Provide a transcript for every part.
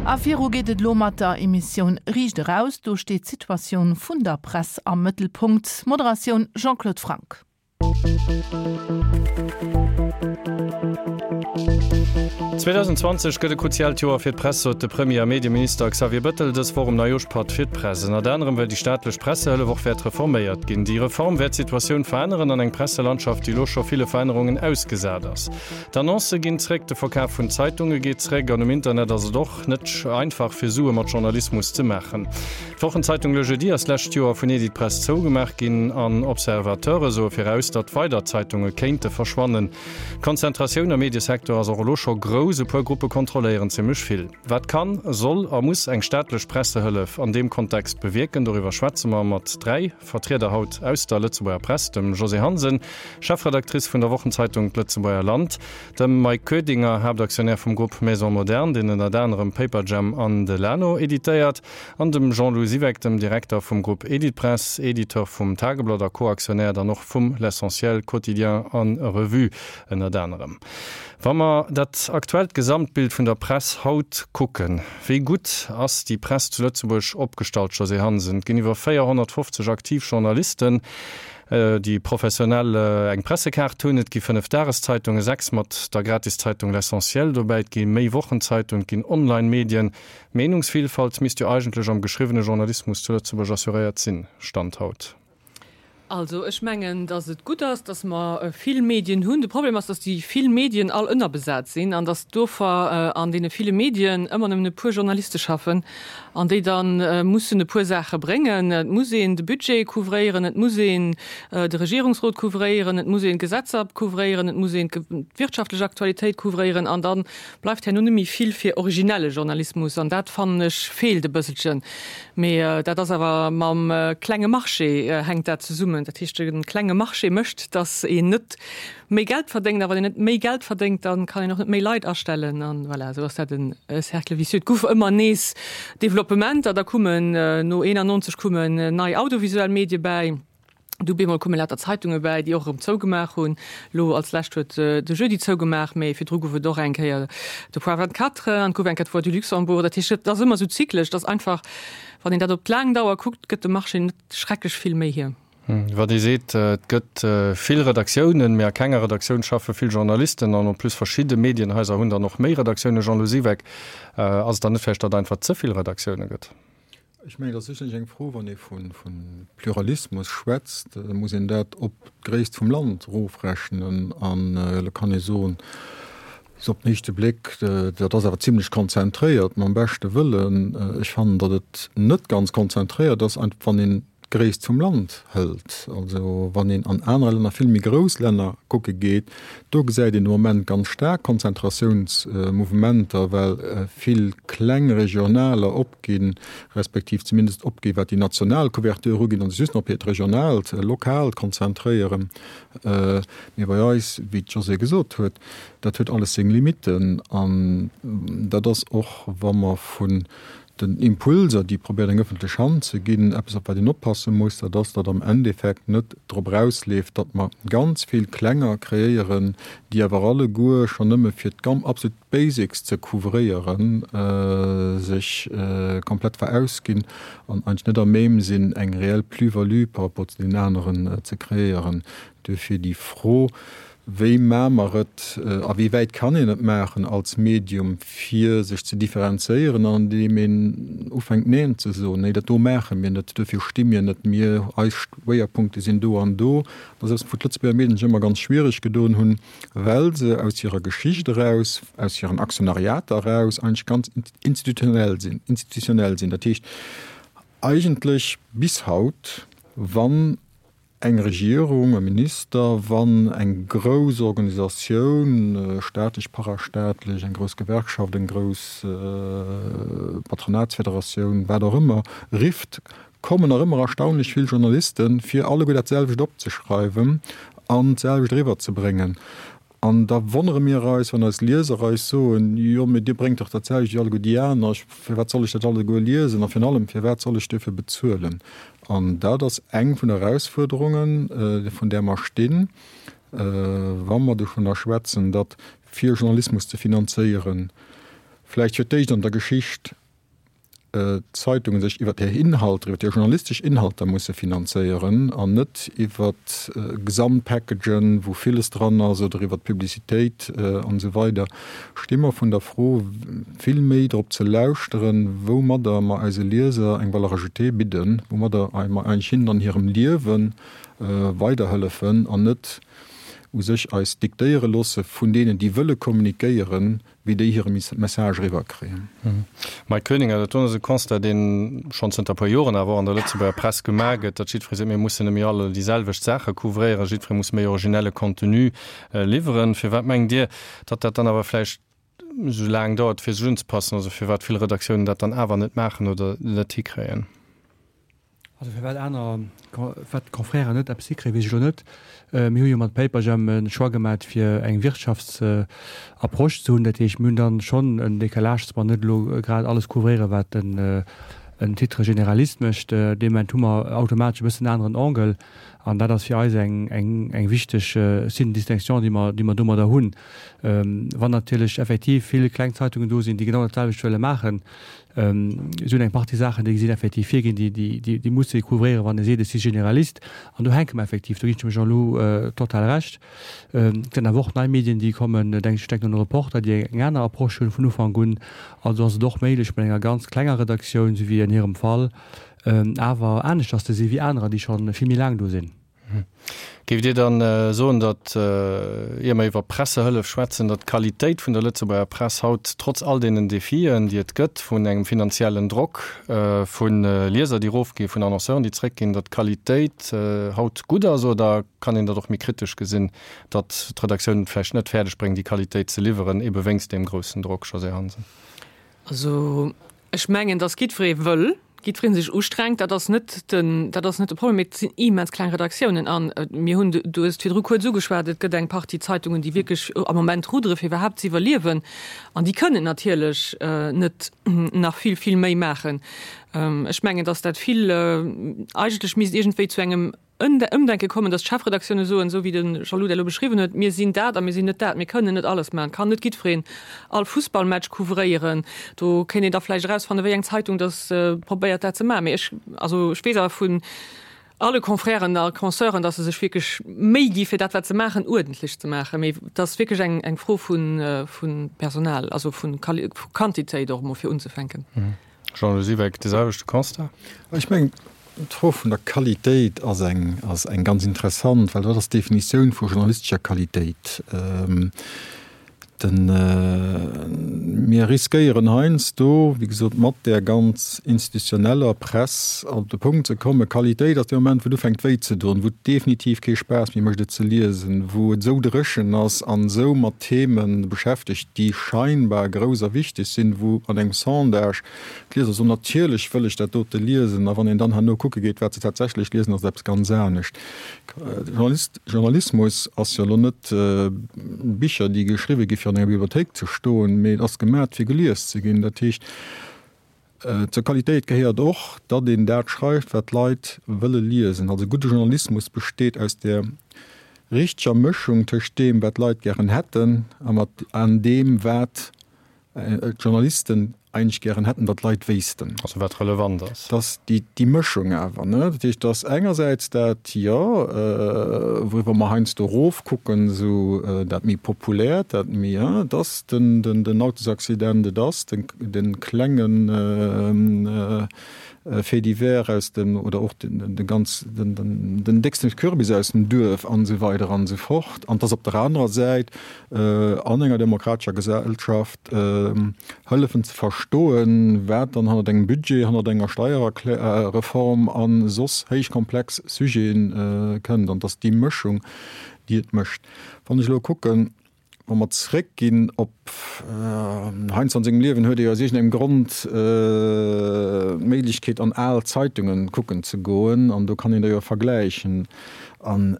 A viru geet et elo mat der Emissioun Riicht eraus. Do steet d'Situatioun vun der Press am Mëttelpunkt. Moderatioun Jean-Claude Franck. 2020 gëtt e kruziaalt Joer fir d'Press, sot de Premier a Medieminister Xavier Bettel dës Woch um Neijooschpatt fir d'Press. Ënnert anerem well déi staatlech Pressehëllef och wäert reforméiert ginn. Déi Reform wäert d'Situatioun veränneren an eng Presselandschaft, déi elo scho ville Verännerungen ausgesat ass. D'Annoncë ginn zréck, de Verkaf vun Zeitunge geet zréck an um Internet ass et och net einfach fir Sue mat Journalismus ze maachen. D'Wochenzeitung Le Jeudi ass d'lescht Joer vun Editpress zougemaach ginn an Observateure soe viraus, datt weider Zeitunge kéinte verschwannen. D'Konzentratioun am Mediesecteur ass och elo scho grouss, e puer Gruppe kontrolléieren zimmlech vill. Wat kann, soll a muss eng staatlech Pressehëllef an deem Kontext bewierken? Doriwwer schwätze mer mat 3 Vertrieder haut aus der Lëtzebuerger Press, dem Josée Hansen, Chefredactrice vun der Wochenzeitung D'Lëtzebuerger Land, Dem Mike Koedinger, Haaptaktionär vum Grupp Maison Moderne, deen ënnert anerem Paperjam an Delano editéiert, an dem Jean-Lou Siweck, dem Direkter vum Grupp Editpress, Editeur vum Tageblatt a Co-Aktionär dann och vum L'Essentiel, Quotidien a Revue ënnert anerem. Wa mer dat aktuellt Gesamtbild vun der Press haut kucken, wéi gutt ass déi Press zu Lëtzebuerg opgestallt, Josée Hansen? Et ginn iwwer 450 aktiv Journalisten. déi professionell eng Pressekaart hunn. Et gi 5 Dageszeitungen, 6 mat der Gratiszeitung L'Essentiel dobäi, et gi méi Wochenzeitungen, et ginn Online-Medien. D'Meenungsvilfalt misst jo eigentlech am geschriwwene Journalismus zu Lëtzebuerg assuréiert sinn, Stand haut. Also ech mengen, datt et gutt ass, datt mer vill Medien hunn. De Problem ass, datt déi vill Medien all ënnerbesat sinn an datt dofir an deene ville Medien ëmmer nëmmen e puer Journaliste schaffen. An déi da mussen e puer Saache bréngen. Et muss een de Budget couvréieren, et muss een de Regierungsrot couvréieren, et muss een d'Gesetzer couvréieren, et muss een d'wirtschaftlech Aktualitéit couvréieren. An da bleift herno net méi vill fir originelle Journalismus. An dat, fannen ech, feelt e bësselchen. Mee dat ass awer mam klenge Marché hänkt dat zesummen. Dat heescht, de klenge Marché mécht, datt een net méi Geld verdéngt, a wann een net méi Geld verdéngt, da kann een och net méi Leit astellen an voilà, esou ass dat e Cercle vicieux. Et gouf ëmmer nees Developpementer, da kummen no 91 kummen nei audiovisuell Medie bäi, du bemol kumme lauter Zeitunge bäi, déi och erëm zougemaach hunn. Elo als lescht huet de Jeudi zougemaach, mee virdru gouf et och eng Kéier de Point 24 an et gouf eng Kéier d'Voix du Luxembourg. Dat heescht, et ass ëmmer esou zyklesch, et ass einfach, wann een dat op d'laang Dauer kuckt, gëtt de Marché net schrecklech vill méi hier. Wat ee seet, et gëtt vill Redaktiounen, mee a kenger Redaktioun schaffe vill Journalisten an en plus verschidde Medienhaiser hunn dann och méi Redaktiounen. Jean-Lou Siweck, Ass et dann net vläicht, datt et einfach ze vill Redaktioune gëtt? Ech mengen, et ass sécherlech eng Fro, wann ee vu Pluralismus schwätzt, da muss een dat op d'Gréisst vum Land erofrechnen an da kann ee soen, Sou op den éischte Bléck, dat ass awer zimlech konzentréiert, mam beschte Wëllen. Ech fannen, datt et net ganz konzentréiert ass, wann een d'Gréisst vum Land hëlt. Also wann een an aner Länner, vill méi grouss Länner kucke geet, do gesäit een de Moment ganz staark Konzentratiounsmouvementer, well vill kleng Regionaler opginn, respektiv zumindest opginn, wat déi national Couverture ugeet, an sech just nach op hiert regionaalt, lokaalt konzentréieren. Mee bei eis, wéi d'Josée gesot huet, dat huet alles seng Limitten. An dat ass och, wa mer vun den Impulser, déi probéiert eng ëffentlech Hand ze ginn, eppes op wat een oppasse muss, dat ass, datt am Endeffekt net drop erausleeft, datt mer ganz vill klenger kreéieren, déi awer alleguer schonn nëmme fir d'gamm absolut Basics ze couvréieren, sech komplett verausginn an eigentlech net à même sinn, eng reell Plus-value par rapport zu deenen aneren ze kreéieren. Duerfir déi Fro, Wéi maache mer et, a wéi wäit kann een et maachen als Medium, fir sech ze differenzéieren, andeem een ufänkt Neen ze soen, Nee, dat do maache mir net, duerfir sti mir net, mir, eis Schwéierpunkte sinn do an do. Dat ass eppes, wou d'Lëtzebuerger Medien sech ëmmer ganz schwiereg gedoen hunn, well se aus hirer Geschicht eraus, aus hiren Aktionariater eraus eigentlech ganz institutionell sinn, institutionell sinn. Dat heescht eigentlech bis haut, wann eng Regierung, e Minister, wann eng grouss Organisatioun, staatlech, parastaatlech, eng grouss Gewerkschaft, eng grouss Patronatsfederatioun, wat och ëmmer, rifft, kommen nach ëmmer erstaunlech vill Journalisten, fir alleguer dat selwecht opzeschreiwen an d'selwecht eriwwerzebréngen. An da wonnere mir eis, wann eis Lieser eis soen, Jo, mee Dir bréngt dach dat selwecht wéi alleguer déi aner, firwat soll ech dat alleguer liesen a virun allem, firwat soll ech duerfir bezuelen? An dat ass eng vun der Erausfuerderungen, vun där mer stinn, wa mer dovunner schwätzen, datt fir Journalismus ze finanzéieren. Vläicht fir d'éischt an der Geschicht d'Zeitungen sech iwwert hir Inhalter, iwwert hir journalistesch Inhalter musse finanzéieren an net iwwert Gesamtpackagen, wou villes dran ass, oder iwwert d'Publicitéit an esou weider, sti mer vun der Fro, vill méi drop ze lauschteren, woumadder mer eise Lieser eng Valeur ajoutée bidden, woumadder mer eigentlech hinnen an hirem Liewe weiderhëllefen an net u sech eis diktéiere loosse vun deenen, déi wëlle kommunikéieren, wéi déi hire Message eriwwer kréien. Mike Koeninger, Dat do ass e Constat, dee schonn zënter e puer Joren awer och an der Lëtzebuerger Press gemaach gëtt, datt jiddweree seet, mir mussen net méi all déi selwecht Saache couvréieren, jiddweree muss méi originelle Contenu liwweren. Firwat mengt Dir, datt dat dann awer vläicht esou laang dauert, fir sech unzepassen, also firwat vill Redaktiounen dat dann awer net maachen oder net hikréien? Also firwat aner, firwat d'Confrèren net eppes hikréien, weess ech elo net. Mir hu jo mat Paperjam e Choix gemat fir eng Wirtschaftsapproche ze hunn. Dat heescht, mir hunn dann schonn en Décalage, dass mer net elo grad alles couvréieren, wat en en Titre généraliste mécht. Dee Moment hu mer automatesch e bëssen en aneren Angle an dat ass fir eis eng eng eng wichteg Signe de distinction, déi mer déi mer domadder hunn. Wann natierlech effektiv vill kleng Zeitungen do sinn, déi genau dat selwecht wëlle maachen, Si hunn eng Partie Saachen, déi sinn effektiv virginn, déi, déi musse couvréieren, wann ee seet, ech si Generalist. An do hänke mer effektiv, do ginn ech dem Jean-Lou total Recht. Et sinn awer och nei Medien, déi kommen, denk, ech denken un de Reporter, déi eng aner Approche hunn vun Ufank un. Also ass et och méiglech, mat enger ganz klenger Redaktioun, esou wéi an hirem Fall, awer aneschters ze si wéi anerer, déi scho vill méi laang do sinn. Géift Dir dann soen, datt, ier mer iwwer Pressehëllef schwätzen, datt d'Qualitéit vun der Lëtzebuerger Press haut, trotz all deenen Defien, déi et gëtt, vun engem finanziellen Drock, vu Lieser, déi erofginn, vun Annonceuren, déi zréckginn, datt d'Qualitéit haut gutt ass? Oder kann een dat och méi kritesch gesinn, datt d'Redaktioun et vläicht net fäerdeg bréngt, déi Qualitéit ze liwweren, ebe wéinst deem groussen Drock, Josée Hansen? Also ech mengen, datt jiddweree wëll, jiddweree sech ustrengt, dat ass net den, dat ass net de Problem, mee et sinn immens kleng Redaktiounen an mir hunn, du hues et virdru kuerz ugeschwat, et gëtt eng Partie Zeitungen, déi wierklech am Moment ruddere fir iwwerhaapt ze iwwerliewen an déi kënnen natierlech net nach vill, vill méi maachen. Ech mengen, datt dat vill eigentlech misst iergendwéi zu engem Ëmdenke kommen, datt d'Chefredaktioune soen, esou wéi de Jean-Lou dat elo beschriwwen huet, mir sinn dat a mir sinn net dat, mir kënnen net alles maachen, et kann net jiddwereen all Fussballmatch couvréieren. Do kéint een da vläicht erausfannen, wéi eng Zeitung datt probéiert dat ze maachen. Mee ech, also ech weess awer vun alle Confrèren a Consœuren, datt se sech wierklech Méi gi fir dat wat se maachen uerdentlech ze maachen. Mee et ass wierklech eng eng Fro vu vu Personal, also vu Quantitéit och emol fir unzefänken. Jean-Lou Siweck, de selwechte Constat? Ech mengen, d'Fro vun der Qualitéit ass eng, ass eng ganz interessant, well wat ass d'Definitioun vu journalistescher Qualitéit? Den, mir riskéieren heiansdo, wéi gesot, mat där ganz institutioneller Press op de Punkt ze kommen, Qualitéit ass dee Moment, wou et ufänkt wéi ze doen, wou et definitiv kee Spaass méi mécht et ze liesen, wou et esou dréchen ass an esou mat Themen beschäftegt, déi scheinbar grouss a wichteg sinn, wou an engem Sondage d'Lieser soen, natierlech wëll ech dat dote liesen, a wann een dann herno kucke geet, wat se tatsächlech liesen, ass et eppes ganz anescht. Journalismus ass jo elo net Bicher, déi geschriwwe gi fir an enger Bibliothéik ze stoen, mee et ass gemat fir gelies ze ginn. Dat heescht, zur Qualitéit gehéiert och, datt een dat schreift, wat d'Leit wëlle liesen. Also gudde Journalismus besteet aus der richteger Mëschung tëscht deem, wat d'Leit gären hätten an deem, wat d'Journalisten eigentlech gären hätten, datt d'Leit wéissten. Also wat relevant ass. Dass déi, déi Mëschung awer, ne? Dat heescht, dass engersäits dat, jo, wouriwwer mer heiansdo erofkucken, esou dat méi Populäert, dat méi, hein, et ass den, den, den Autosaccident, et ass den, de klengen Fait divers aus dem, oder och den, de ganz, den, den, den décksten Kürbis aus dem Duerf an esou weider an esou fort. An dass op der anerer Säit an enger demokratescher Gesellschaft hëllefen ze verstoen, wat dann hannert engem Budget, hannert enger Steierreform a soss héich komplex Sujete kënnt. An et ass déi Mëschung, déi et mécht. Wann ech elo kucken, wa mer zréckginn op, heiansdo an sengem Liewen huet ee jo aus iergendengem Grond d'Méiglechkeet an al Zeitungen kucken ze goen an do kann een da jo vergläichen. An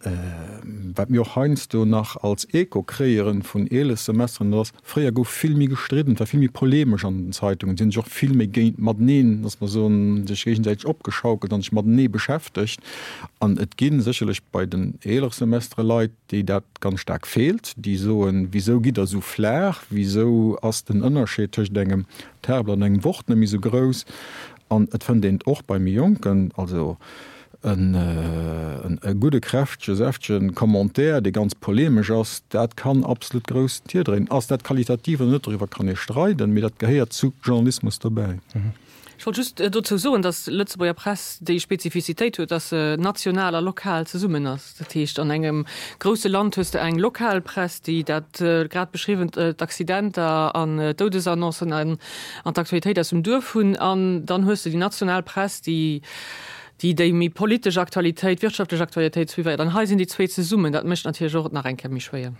wat mir och heiansdo nach als Echo kréieren vun eeles Semesteren, dat ass, fréier gouf vill méi gestridden, et war vill méi polemesch an den Zeitungen, et si sech och vill méi géint mateneen, dass mer soen, sech géigesäiteg opgeschaukelt an sech matenee beschäftegt. An et gi sécherlech bei den eelere Semestere Leit, déi dat ganz staark feelt, déi soen, Wisou gitt Der esou flaach? Wisou ass den Ënnerscheed tëscht engem Tagblatt an engem Wort net méi esou grouss? An et fënnt een et och bei méi Jonken, also e gudde, kräftege, säftege Commentaire, dee ganz polemesch ass, dat kann absolut grouss Tier dréinen. Ass dat qualitativ oder net, doriwwer kann ee streiden, mee dat gehéiert zu Journalismus dobäi. Ech wollt just dozou soen, datt d'Lëtzebuerger Press déi Spezifizitéit huet, datt se national a lokal zesummen ass. Dat heescht, an engem grousse Land hues de eng lokal Press, déi dat grad beschriwwent, d'Accidenter an d'Doudesannoncen an d'Aktualitéit aus dem Duerf hunn. An dann hues de déi national Press, déi déi déi méi politesch Aktualitéit, wirtschaftlech Aktualitéit suivéiert. An hei sinn déi zwee zesummen. Dat mécht natierlech och et nach eng Kéier méi schwéier.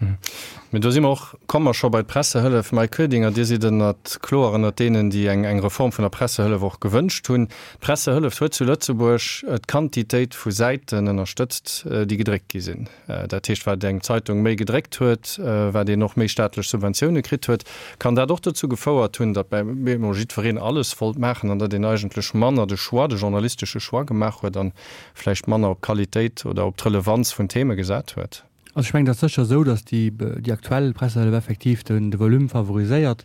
Mee do si mer och, komme mer scho bei d'Pressehëllef. Mike Koedinger, Dir sidd ënnert, kloer ënnert deenen, déi eng eng Reform vun der Pressehëllef och gewënscht hunn. D'Pressehëllef huet zu Lëtzebuerg d'Quantitéit vu Säiten ënnerstëtzt, déi gedréckt gi sinn. Dat heescht, wat eng Zeitung méi gedréckt huet, wat een och méi staatlech Subventioune kritt huet. Kann dat och dozou gefouert hunn, datt bei emol jiddwereen alles wollt maachen an datt een eigentlech manner de Choix, de journalistesche Choix gemaach huet an vläicht manner op d'Qualitéit oder op d'Relevanz vun Theme gesat huet? Also ech mengen, et ass sécher esou, datt déi, déi aktuell Pressehëllef effektiv den, de Volume favoriséiert.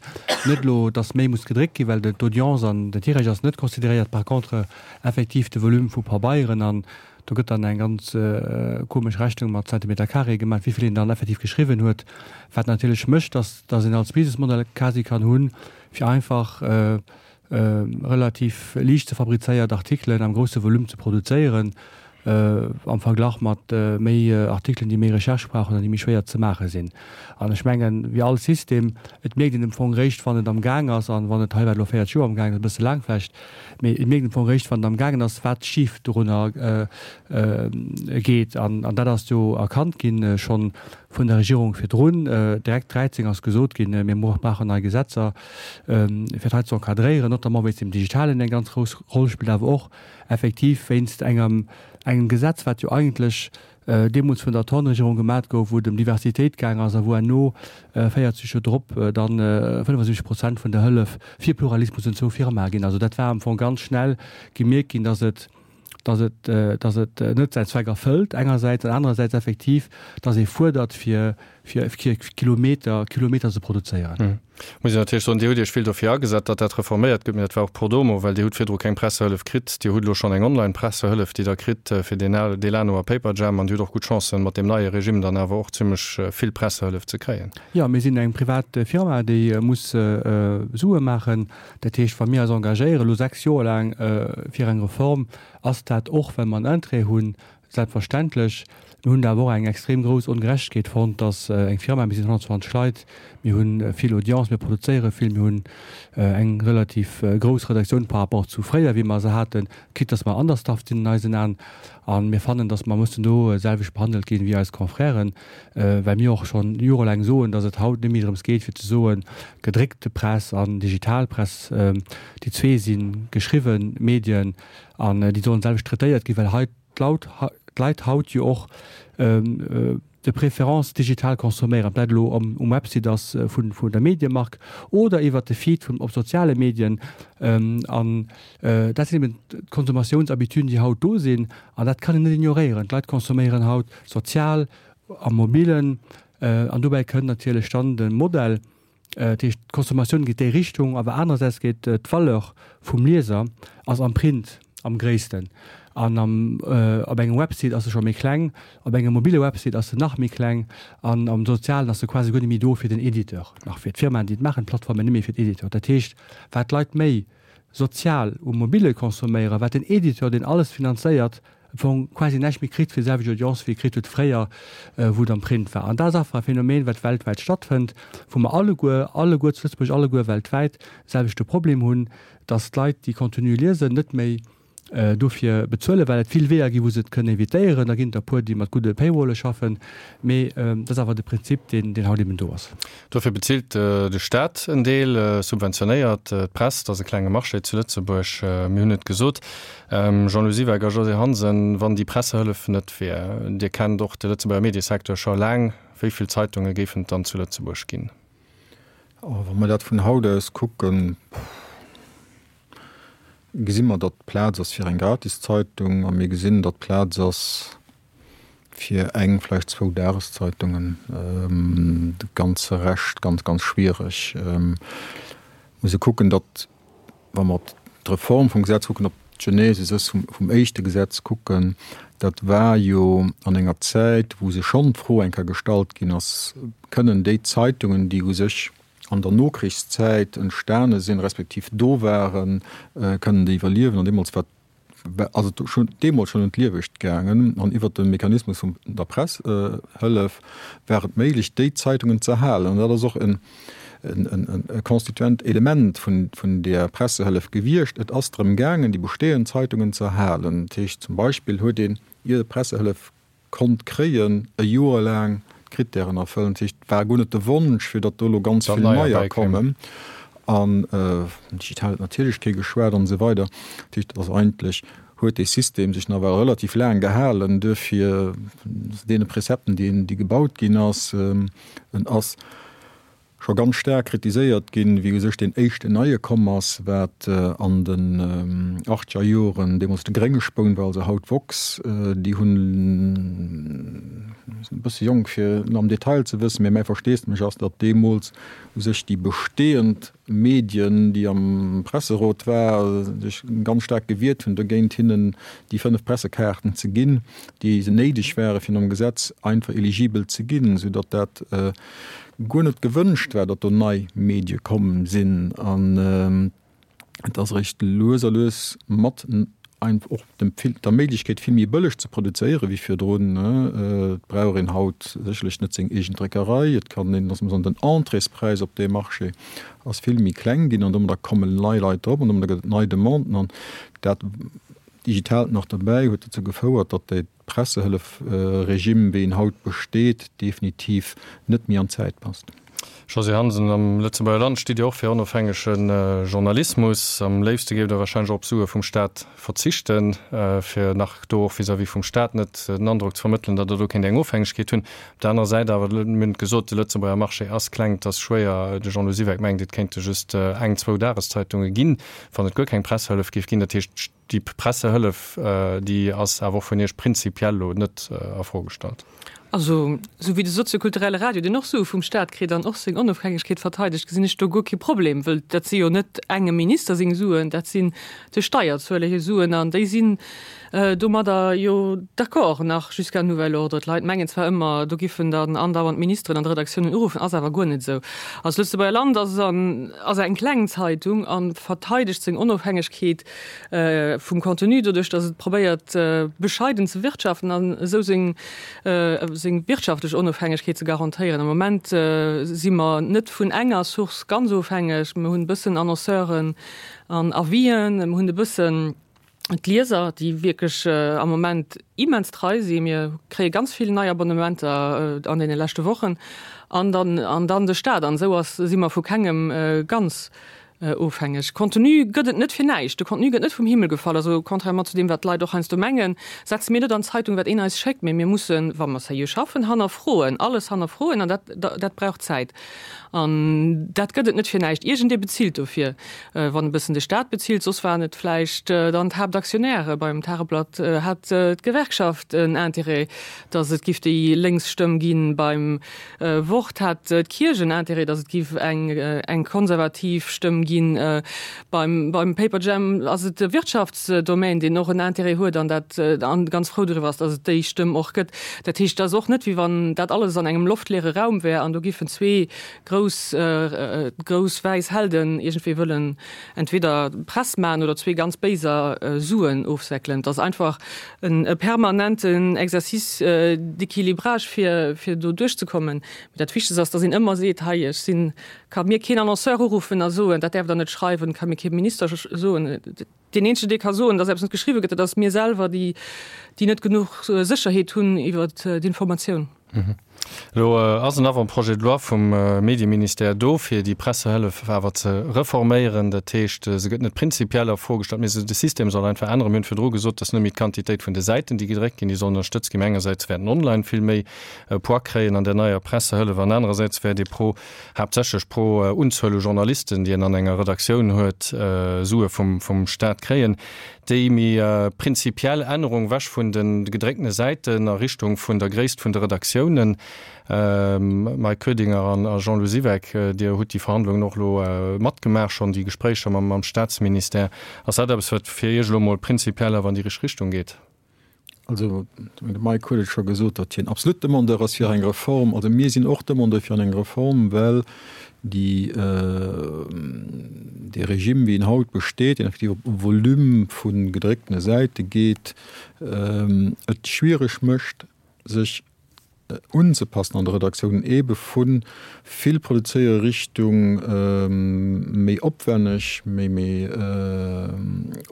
Net elo, datt méi muss gedréckt ginn, well d'Audience an den Tirage ass net consideréiert, par contre effektiv de Volume vu Pabeieren an Do gëtt dann eng ganz komesch Rechnung mat Zentimeter carré gemaach, wéi vill een dann effektiv geschriwwen huet, wat natierlech mécht, dass dass een als Businessmodell quasi kann hunn, fir einfach relativ liicht ze fabrizéiert Artikelen am grousse Volume ze produzéieren, am Verglach mat méi Artikelen, déi méi Recherche brauchen an déi méi schwéier ze maache sinn. An ech mengen, wéi all System, et mierkt een am Fong réischt, wann et am Gaang ass an wann et hei war et elo 40 Joer am Gaang, ass e bësse laang vläicht, Mee et mierkt am Fong eréischt, wann et am gaangen ass, wat schif dorunner geet. An dat ass jo erkannt ginn, scho vun der Regierung virdrun. Direkt 13 ass gesot ginn, mir brauchen nei Gesetzer, fir dat hei ze encadréieren, notamment wéinst dem Digitalen eng ganz grouss Roll spillt, awer och effektiv wéinst engem Gesetz, wat jo eigentlech deemools vun der Thorn-Regierung gemat gouf, wou et ëm Diversitéit gaang ass a wou herno 40 Joer drop dann 75 Prozent vun der Hëllef fir Pluralismus un zwou Firmae ginn. Also dat war am Fong ganz schnell gemierkt ginn, dass et, dass et, dass et net säin Zweck erfëllt engersäits an anerersäits effektiv, dass ee fuerdert fir, fir Kilometer, Kilometer ze produzéieren. Muss een natierlech soen, Dir hutt Iech vill dofir agesat, datt dat reforméiert gëtt, mee dat war och pro domo, well Dir hutt virdru keng Pressehëllef kritt. Dir hutt elo schonn eng Online-Pressehëllef, déi Der kritt fir Delano a Paperjam, an Dir hutt och gutt Chancen, mat deem neie Regime dann awer och zimmlech vill Pressehëllef ze kréien. Jo, mir sinn eng privat Firma, déi muss Sue maachen. Dat heescht, wa mir eis engagéieren, elo 6 Joer laang fir eng Reform, ass dat och, well mer en Interêt hunn, Selbstverständlech. Mir hunn awer och eng extrem grouss Ongerechtegkeet fonnt, dass eng Firma, mir sinn 120 Leit, mir hu vill Audience, mir produzéiere vill, mir hunn eng relativ grouss Redaktioun par rapport zu fréier, wéi mer se haten, quitte dass mer understaffed sinn an eisen Aen. A mir fannen, dass mer mussen do selwecht behandelt ginn wéi eis Confrèren, well mir och schonn jorelaang soen, dass et haut net méi drëms geet fir ze soen, gedréckte Press an digital Press, déi zwee si geschriwwe Medien an déi sollen selwecht traitéiert ginn, well hei d'Leit haut jo och de préférence digital consomméieren, ob dat elo um Website ass vun der Mediemark oder iwwert de Feed op soziale Medien. An dat sinn eben d'Consommatiounsabittüden, déi haut do sinn. An dat kann een net ignoréieren. D'Leit consomméieren haut sozial, am Mobilen. An dobäi kënnt natierlech dann de Modell, Dat heescht, d'Consommatioun geet déi Richtung, awer anerersäits geet d'Valeur vum Lieser ass am Print am gréissten. An am, op engem Website ass se scho méi kleng, op engem mobile Website ass se nach méi kleng an am Sozialen ass se quasi guer net méi do fir den Editeur, nach fir d'Firmaen, déi et maachen, d'Plattformen, net méi fir d'Editeur. Dat heescht, wat d'Leit méi sozial um Mobile consomméieren, wat den Editeur, deen alles finanzéiert, am Fong quasi näischt méi kritt fir déi selwecht Audience wéi e kritt huet fréier, wou et am Print war. An dat ass einfach e Phänomen, wat weltwäit stattfënnt, wou mer alleguer, alleguer zu Lëtzebuerg, alleguer weltwäit, de selwechte Problem hunn, dass d'Leit, déi Contenu liesen, net méi dofir bezuelen, well et vill Weeër ginn, wou se et kënnen evitéieren. Da ginn et der e puer, déi mat gudde Paywalle schaffen, mee dat ass awer de Prinzip, deen, deen haut eben do ass. Dofir bezilt de Staat en Deel, subventionéiert d'Press. Dat ass e klenge Marché zu Lëtzebuerg, mir hunn et gesot. Jean-Lou Siweck a Josée Hansen, wann déi Pressehëllef net wier, Dir kennt och de Lëtzebuerger Mediesecteur scho laang, wéi vill Zeitunge géifen et dann zu Lëtzebuerg ginn? Wa mer dat vun haut aus kucken. gesi mer, datt Plaz ass fir eng Gratiszeitung a mir gesinn, datt Plaz ass fir eng, vläicht zwou Dageszeitungen. De ganze Rescht ganz, ganz schwiereg. Muss e kucken, datt, wa mer op d'Reform vum Gesetz kucken, op d'Genesis vum éischte Gesetz kucken, dat war jo an enger Zäit, wou sech schonn d'Fro eng Kéier gestallt ginn ass, Kënnen déi Zeitungen, déi u sech an der Nokrichszäit entstane sinn, respektiv do waren, kënnen déi iwwerliewen? An deemools war, ass et schonn deemools schonn ëm d'Liewegt gaangen an iwwert de Mechanismus vun der Pressehëllef war et méiglech, déi Zeitungen ze erhalen. An dat ass och en e constituent Element vun vun där Pressehëllef gewiescht. Et ass drëm gaangen, déi bestehend Zeitungen ze erhalen. Dat heescht zum Beispill huet een, ier e Pressehëllef konnt kréien, e Joer laang d'Krittären erfëllen. Dat heescht, et war guer net de Wonsch, fir datt do elo ganz vill neier kommen. An digital huet natierlech kee geschwat an esou weider. Dat heescht, et ass eigentlech, huet dee System sech nawell relativ laang gehalen. Duerfir deene Prezepten, déi déi gebaut ginn ass, en ass scho ganz staark kritiséiert ginn, wéi u sech deen éischten neie komm ass, wat an den achtzeger Joren deemools de grénge Spoun war, also haut Vox. Déi hunn, sinn e bësse jonk fir et am Detail ze wëssen, mä mäi Versteesdemech ass, datt deemools u sech déi bestehend Medien, déi am Presserot war, sech ganz staark gewiert hunn dogéint, hinnen déi 5 Pressekaarten ze ginn, déi néideg ware fir nom Gesetz einfach eligibel ze ginn, soudatt dat guer net gewënscht war, datt do nei Medie komm sinn. An et ass eréischt lues a lues mat och dem der Méiglechkeet vill méi bëlleg ze produzéiere wéi virdrun. Et brauch een haut sécherlech net seng eegen Dréckerei. Et kann een, lass mer soen, den Entréespräis op dee Marché ass vill méi kleng ginn an domadder kommen nei Leit drop an domadder gëtt et nei Demanden an dat Digitaalt nach dobäi huet dozou gefouert, datt déi Pressehëllef-Regime, wéi en haut besteet, definitiv net méi an d'Zäit passt. Josée Hansen, Am Lëtzebuerger Land stitt Dir och fir onofhängege Journalismus. Am léifste géift Der warscheinlech och op Sue vum Staat verzichten, fir nach do och vis-à-vis vum Staat net den Androck ze vermëttelen, datt Der do kéint eng Ofhängegkeet hunn. Op der anerer Säit awer, mir hunn et gesot, de Lëtzebuerger Marché ass kleng, et ass schwéier. De Jean-Lou Siweck mengt, et kéinte just eng, zwou Dageszeitunge ginn, wann et guer keng Pressehëllef géif ginn. Dat heescht, Déi Pressehëllef, déi ass awer och vun Iech prinzipiell elo net a Fro gestallt. Also, esou wéi de soziokulturelle Radio, deen och Sue vum Staat kritt an och seng Onofhängegkeet verteidegt, gesinn ech do guer kee Problem, wëll dat si jo net engem Minister seng Suen, dat sinn de Steierzueler hir Suen an déi sinn domadder jo d'accord nach jusqu'à nouvel ordre. D'Leit mengen zwar ëmmer, do giffen dann andauernd d'Ministeren an d'Redaktiounen uruffen, ass awer guer net esou. Also d'Lëtzebuerger Land ass ass eng kleng Zeitung a verteidegt seng Onofhängegkeet vum Contenu, doduerch datt et probéiert bescheiden ze wirtschaften an esou seng seng wirtschaftlech Onofhängegkeet ze garantéieren. Am Moment si mer net vun enger Source ganz ofhängeg. Mir hunn e bëssen Annonceuren an Avisen, mir hunn e bëssen d'Lieser, déi wierklech am Moment immens trei sinn. Mir kréie ganz vill nei Abonnementer an deene leschte Wochen an dann an dann de Staat. An esou ass si mer vu kengem ganz Ofhängeg. Contenu gëtt et net fir näischt. De Contenu gëtt net vum Himmel gefall. Also contrairement zu deem, wat d'Leit och heiansdo mengen, setze mir net an d'Zeitung, wat een eis schéckt, mee mir mussen, wa mer seriö schaffen, hannerfroen, alles hannerfroen an dat, dat brauch Zäit. An dat gëtt et net fir näischt. Iergendee bezilt dofir. Wann e bëssen de Staat bezilt, soss waren et vläicht dann d'Haaptaktionäre. Beim Tageblatt hat d'Gewerkschaft en Intérêt, datt et giff déi lénks Stëmm ginn. Beim Wort hat d'Kierch en Intérêt, datt et giff eng konservativ Stëmm ginn. Beim Paperjam ass et de Wirtschaftsdomaine, deen och en Intérêt huet an dat an ganz frou doriwwer ass, datt et déi Stëmm och gëtt. Dat heescht, et ass och net, wéi wann dat alles an engem loftleere Raum wär an do giffen zwee grouss grouss wäiss Helden iergendwéi wëllen entweder Press maachen oder zwee ganz Béiser Suen ofsäckelen. Et ass einfach e permanenten Exercice d'équilibrage fir fir do duerchzekommen. Mee dat Wichtegst ass, datt een ëmmer seet, hei ech sinn, ka mir keen Annonceur uruffen a soen, dat däerft Der net schreiwen, ka mir kee Minister soen. Deen eenzegen, dee ka soen, datt eppes net geschriwwe gëtt, dat ass mir selwer, déi déi net genuch Sécherheet hunn iwwer d'Informatioun. Elo ass en Avant-projet de loi vum Medieministère do, fir déi Pressehëllef awer ze reforméieren. Dat heescht, se gëtt net prinzipiell a Fro gestallt, mee se, de System soll einfach änneren. Mir hunn virdru gesot, dass net méi d'Quantitéit vun de Säiten, déi gedréckt ginn, déi soll ënnerstëtzt ginn, mä engersäits wäerten online vill méi e Poids kréien an där neier Pressehëllef an anerersäits wäert ee pro, haaptsächlech pro Unzuel u Journalisten, déi een an enger Redaktioun huet, Sue vum, vum Stat kréien. Déi méi prinzipiell Ännerung wech vun de gedrécktene Säiten a Richtung vun der Gréisst vun de Redaktiounen. Mike Koedinger an Jean-Lou Siweck, Dir hutt déi Verhandlungen och elo matgemaach schonn, déi Gespréicher mam Staatsministère. Ass dat eppes, wat fir Iech elo emol prinzipiell awer an déi richteg Richtung geet? Also, de Mike huet et scho gesot, datt hien absolut Demandeur ass fir eng Reform. Also mir sinn och Demandeur fir eng Reform, well déi, dee Regime, wéi en haut besteet, deen effektiv op Volume vu gedrécktene Säite geet, et schwiereg mécht, sech unzepassen an de Redaktiounen, eebe vu vill produzéiere Richtung méi opwänneg, méi méi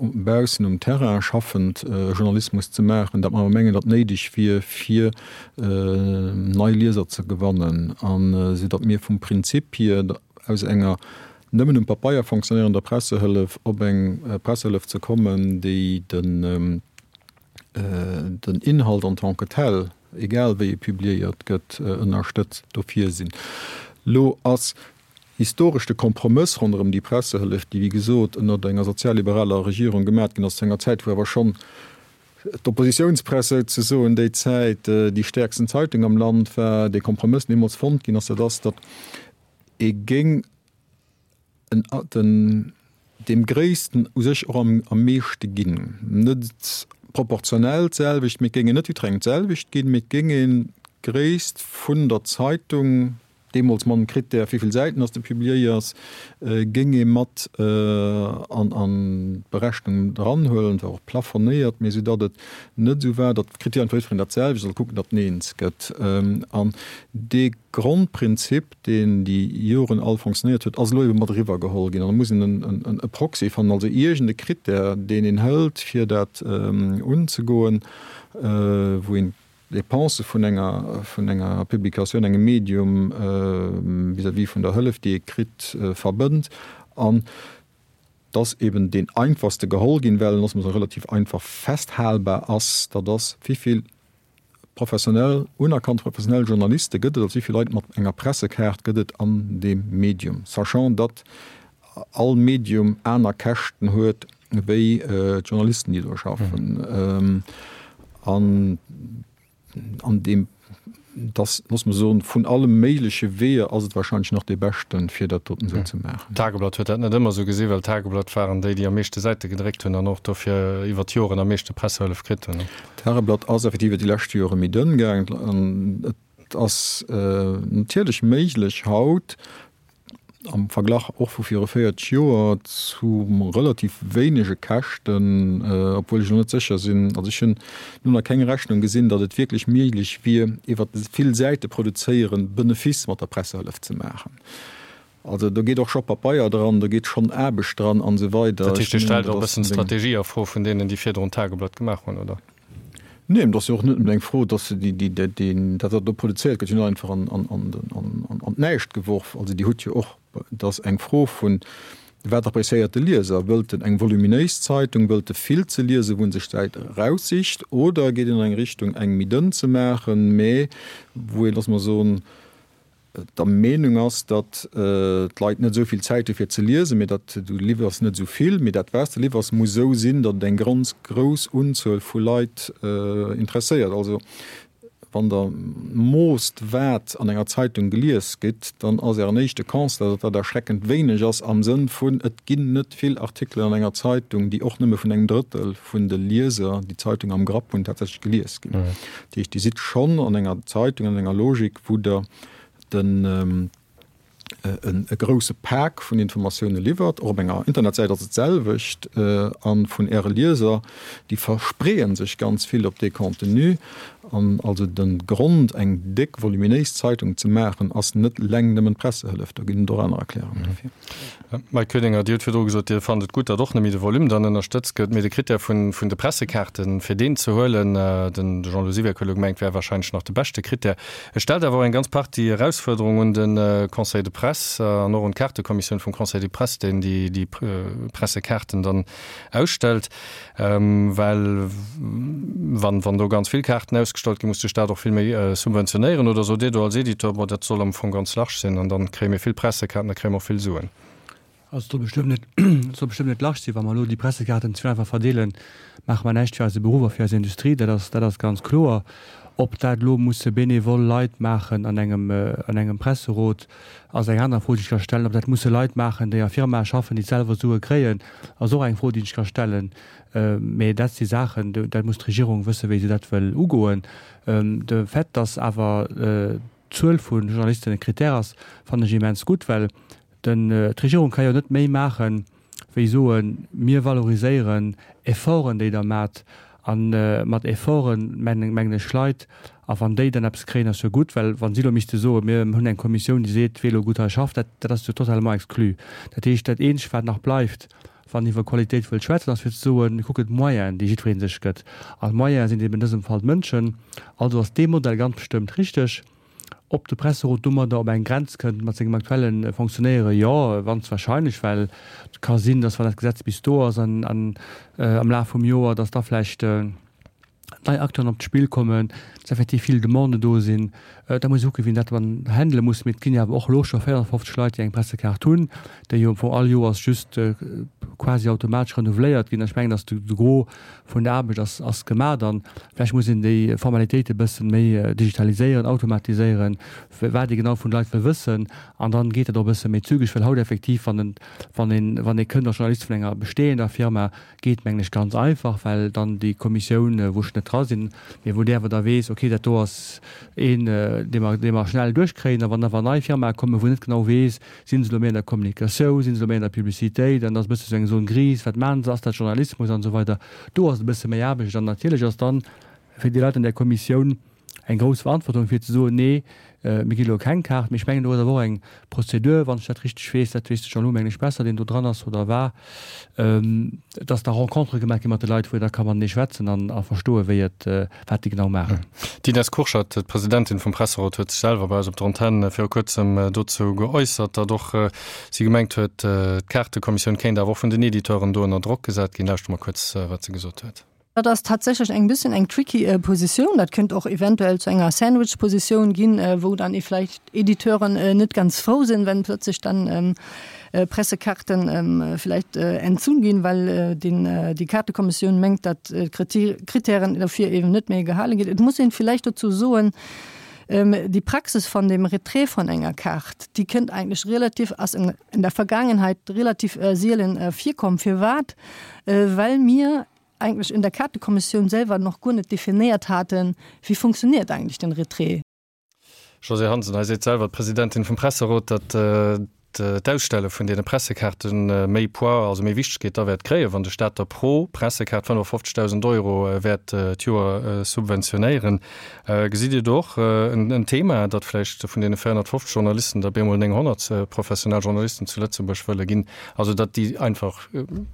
baussen um Terrain schaffend Journalismus ze maachen, dat mer awer mengen, datt néideg wier, fir nei Lieser ze gewannen, an esou datt mir vum Prinzip hier aus enger nëmmen um Papeier fonctionnéierender Pressehëllef op eng Pressehëllef ze kommen, déi den den Inhalt en tant que tel, egal wéi e publiéiert gëtt, ënnerstëtzt. Dofir sinn. Lo ass historesch de Kompromëss ronderëm déi Pressehëllef, déi wéi gesot ënnert enger sozialliberaler Regierung gemat ginn ass, zu enger Zäit wou awer schonn d'Oppositiounspress souzesoen déi Zäit déi stäerksten Zeitung am Land war, dee Kompromëss deemools fonnt ginn ass, dat ass, datt ee géing en den deem Gréissten u sech och am am meeschte ginn. Net proportionell d'selwecht, mee et géing een net jidderengem d'selwecht ginn, mee et géing een d'Gréisst vun der Zeitung, deemools mam Krittär wéi vill Säiten dass de publiéiers, géing ee mat an an d'Berechnung dranhuelen, war och plafonnéiert, mee esou datt et net esou war, datt d'Krittären fir jiddereen dat selwecht, soll kucken, datt en eens gëtt. An dee Grondprinzip, deen déi Joren all fonctionnéiert huet, ass elo ebe mat eriwwer geholl ginn. An da muss een e Proxy fannen, also iergend e Krittär, deen een hëlt, fir dat unzegoen, wou een d'Dépensë vun enger, vun enger Publikatioun, engem Medium vis-à-vis vun der Hëllef, déi ee kritt, verbënnt. An et ass eben deen einfachste geholl ginn, well en ass relativ einfach festhalbar ass, dat ass, wéivill Professionell, unerkannt professionell Journaliste gëtt et, also wéi vill Leit mat enger Pressekaart gëtt et an deem Medium, sachant datt all Medium aner Käschten huet wéi d'Journalisten, déi do schaffen. An an deem, dass, loosse mer soen, vun alle méigleche Weeër ass et wahrscheinlech nach dee beschten, fir dat doten esou ze maachen. D'Tageblatt huet dat net ëmmer esou gesinn, well d'Tageblatt waren déi, déi am meeschte Säite gedréckt hunn an och dofir iwwer d'Joren am meeschte Pressehëllef kritt hunn. D'Tageblatt ass effektiv iwwer déi lescht Jore méi dënn gaangen an et ass natierlech méiglech haut am Verglach och vu viru 40 Joer zu relativ wéinege Käschten, obwuel ech elo net sécher sinn, also ech hunn elo nach keng Rechnung gesinn, datt et wierklech méiglech wier iwwer vill Säite produzéieren Benefice mat der Pressehëllef ze maachen. Also do geet och scho Papeier dran, do geet schonn Aarbecht dran an esou weider. Dat heescht, Dir stellt och e bëssen d'Strategie a Fro vun deenen, déi virdrun d'Tageblatt gemaach hunn, oder? Nee, et ass jo och net nëmmen eng Fro, dass se déi, déi, deen, dat wat do produzéiert gëtt, jo net einfach an, an, an, an, an d'Näischt geworf. Also Dir hutt jo och, et ass eng Fro vun, wat appréciéiert de Lieser? Wëllt en eng voluminéis Zeitung, wëllt e vill ze liesen, wou en sech d'Säit eraussicht, oder geet en an eng Richtung, eng méi dënn ze maachen, mä wou een, lass mer soen, der Meenung ass, datt d'Leit net esou vill Zäit hu fir ze liesen, mee datt du liwwers net esou vill, mee dat wat s de liwwers muss esou sinn, datt et eng ganz grouss Unzuel vu Leit interesséiert. Also wann Der moosst wat an enger Zeitung gelies gëtt, dann ass Ären éischte Constat, datt dat erschreckend wéineg ass am Sënn vun, et ginn net vill Artikelen an enger Zeitung, déi och nëmme vun engem Drëttel vun de Lieser, déi d'Zeitung am Grapp hunn, tatsächlech gelies ginn. Dat heescht, Dir sidd schonn an enger Zeitung, an enger Logik, wou Der den e grouse Pak vun Informatioune liwwert. Och op enger Internetsäit ass et d'selwecht. A vun Äre Lieser, déi verspreeë sech ganz vill op dee Contenu. An also de Grond, eng déck, voluminéis Zeitung ze maachen, ass net eleng nëmmen d'Pressehëllef. Do ginn et och aner Erklärungen dofir. Mike Koedinger, Dir hutt virdru gesot, Dir fannt et gutt, datt och net méi de Volume dann ënnerstëtzt gëtt, mee de Krittär vun de Pressekaarten, fir deen ze huelen, den Jean-Lou Siweck huet elo gemengt, wär wahrscheinlech nach de beschte Krittär. Et stellt awer och eng ganz Partie Erausfuerderungen un de Conseil de presse an och un d'Kaartekommissioun vum Conseil de presse, deen déi Pressekaarten dann ausstellt. Well wann, wann do ganz vill Kaarten ausgestallt ginn, muss de Staat och vill méi subventionéieren. Oder sot Dir do als Editeur, bon, dat soll am Fong ganz large sinn an dann kréie mir vill Pressekaarten, da kréie mer och vill Suen? Also et soll bestëmmt net, et soll bestëmmt net large sinn. Wa mer elo déi Pressekaarten ze vill einfach verdeelen, maache mer näischt fir eise Beruff a fir eis Industrie. Dat ass, dat ass ganz kloer. Ob dat elo musse benevol Leit maachen an engem, an engem Presserot, ass eng aner Fro, déi ech ka stellen. Ob dat musse Leit maachen, déi a Firmae schaffen, déi selwer Sue kréien, ass och eng Fro, déi ech ka stellen. Mä dat si Saachen, dat muss d'Regierung wëssen, wéi se dat wëll ugoen. De Fait, dass awer d'Zuel vu Journalisten e Critère ass, fannen ech immens gutt, well d'Regierung ka jo net méi maachen, wéi soen, mir valoriséieren Efforten, déi Der maacht, a mat Efforten mengen ech Leit, a wann déi dann eppes kréien, ass jo gutt, well wa si elo misste soen, mir hunn eng Kommissioun, déi seet, wee elo gutt hei schafft, dat dat ass jo totalement exclu. Dat heescht, dat Eenzegt, wat nach bleift, wann een iwwer Qualitéit wëllt schwätzen, ass fir ze soen, mir kucken d'Moyenen, déi jiddweree sech gëtt, an d'Moyene sinn eben an dësem Fall d'Mënschen. Also ass dee Modell ganz bestëmmt richteg. Ob de Presserot domadder op eng Grenz kënnt mat sengem aktuelle Fonctionnéiere, jo, ganz wahrscheinlech, well et ka sinn, datt wann dat Gesetz bis do ass an am Laf vum Joer, datt da vläicht nei Acteuren op d'Spill kommen, datt effektiv vill Demanden do sinn. Da muss ee kucken, wien dat dann handele muss. Mee et ginn jo awer och elo scho 450 Leit, déi eng Pressekaart hunn, déi jo am Fong all Joers just quasi automatesch renouveléiert ginn. Ech mengen, datt de Gros vun der Aarbecht ass, ass gemaach an vläicht muss een déi Formalitéite bëssen méi digitaliséieren, automatiséieren, wat ee genau vun de Leit wëll wëssen an dann geet dat och e bësse méi zügeg, well haut effektiv, wann en, wann een, wann ee kënnt als Journalist vun enger bestehender Firma, geet mengen ech ganz einfach, well dann déi Kommissioun, wou ech net dra sinn, mee wou déi awer da weess, okay, dat do ass een, dee mer, dee mer schnell duerchkréien a wann awer nei Firmae kommen, wou een net genau weess, Sinn se elo méi an der Kommunikatioun, sinn se elo méi an der Publicitéit an ass e bësse sou eng Zone grise, wat maachen se, ass dat Journalismus an esou weider. Do ass et e bësse méi Aarbecht an natierlech ass dann fir déi Leit an där Kommissioun eng grouss Verantwortung fir ze soen, nee, mir ginn elo keng Kaart. Mee ech mengen do ass awer och eng Prozedur, wann ech dat richteg weess, dat weess de Jean-Lou mengen ech besser, deen do dran ass oder war, dass da Rencontere gemaach gi mat de Leit, wou ee da ka matenee schwätzen an a verstoen, wéi et, wat déi genau maachen. D'Ines Kurschat, d'Presidentin vum Presserot, huet sech selwer bei eis op der Antenn viru kuerzem dozou geäussert, datt och si gemengt huet, d'Kaartekommissioun kéint awer och vun den Editeuren do ënner Drock gesat ginn. Lauschtere mer kuerz, wat se gesot huet. Dat ass tatsächlech eng bëssen eng tricky Positioun. Dat kéint och eventuell zu enger Sandwich-Positioun ginn, wou dann ee vläicht Editeuren net ganz frou sinn, wenn plötzlich dann Pressekarten vielleicht entzunn ginn, well déi Kaartekommissioun mengt, datt d'Kritären dofir eben net méi gehale ginn. Et muss een vielleicht dozou soen, déi Praxis von dem Retrait von enger Kaart, déi kënnt eigentlech relativ, ass in der Vergangenheit relativ sielen virkomm. Firwat? Well mir eigentlech in der Kaartekommissioun selwer noch guer net definéiert haten, wéi funktioniert eigentlech den Retrait. Josée Hansen, Hei seet selwer d'Presidentin vum Presserot, datt d'Ausstelle vun deene Pressekaarte méi Poids, also méi Wichtegkeet da wäert kréien, wann de Staat da pro Pressekaart 55.000 Euro wäert d'Joer subventionéieren. Gesitt Dir do och en Thema, datt vläicht vun deene 450 Journalisten der bemol 900 professionell Journalisten zu Lëtzebuerg wëlle ginn, also datt déi einfach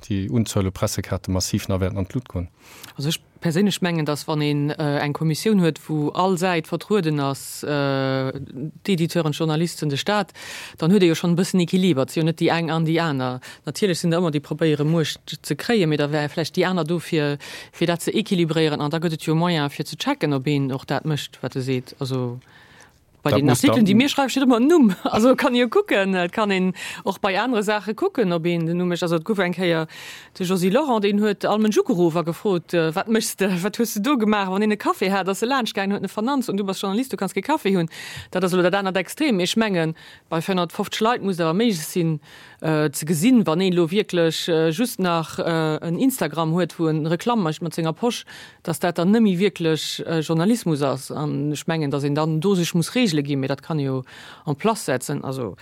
déi Unzuel u Pressekaarte massiv nach wäerten an d'Lut goen? Also ech perséinlech mengen, datt wann een eng Kommissioun huet, wou all Säit vertrueden ass, d'Editeuren, d'Journalisten, de Staat, dann huet ee jo schonn e bëssen Equiliber. Et si jo net déi eng an déi aner. Natierlech sinn der ëmmer, déi probéiere Muecht ze kréien, mee da wäre vläicht déi aner do fir, fir dat ze équilibréieren. An da gëtt et jo Moyen fir ze checken, ob een och dat mécht, wat e seet. Also Bei den Artikelen, déi mir schreiwen, steet ëmmer en Numm. Also kann ee jo kucken. Et kann een och bei anere Saache kucken, ob een den Numm mécht. Also et gouf eng Kéier de Josy Lorent, deen huet all Mënsch ugeruff a gefrot, Wat méchs de? Wat hues de do gemaach? Wann een e Café hat, ass e laanscht gaangen, huet en e vernannt, an du bass Journalist, du kanns kee Café hunn. Dat ass elo dat anert Extrem. Mee ech mengen, bei 450 Leit muss et awer méiglech sinn, ze gesinn, wann een elo wierklech just nach en Instagram huet, wou en Reklamm mécht mat senger Posch, dass dat dann nëmme wierklech Journalismus ass. An ech mengen, dass een dann do sech muss Reegele. Reegele ginn, mee dat kann ee jo en place setzen. Also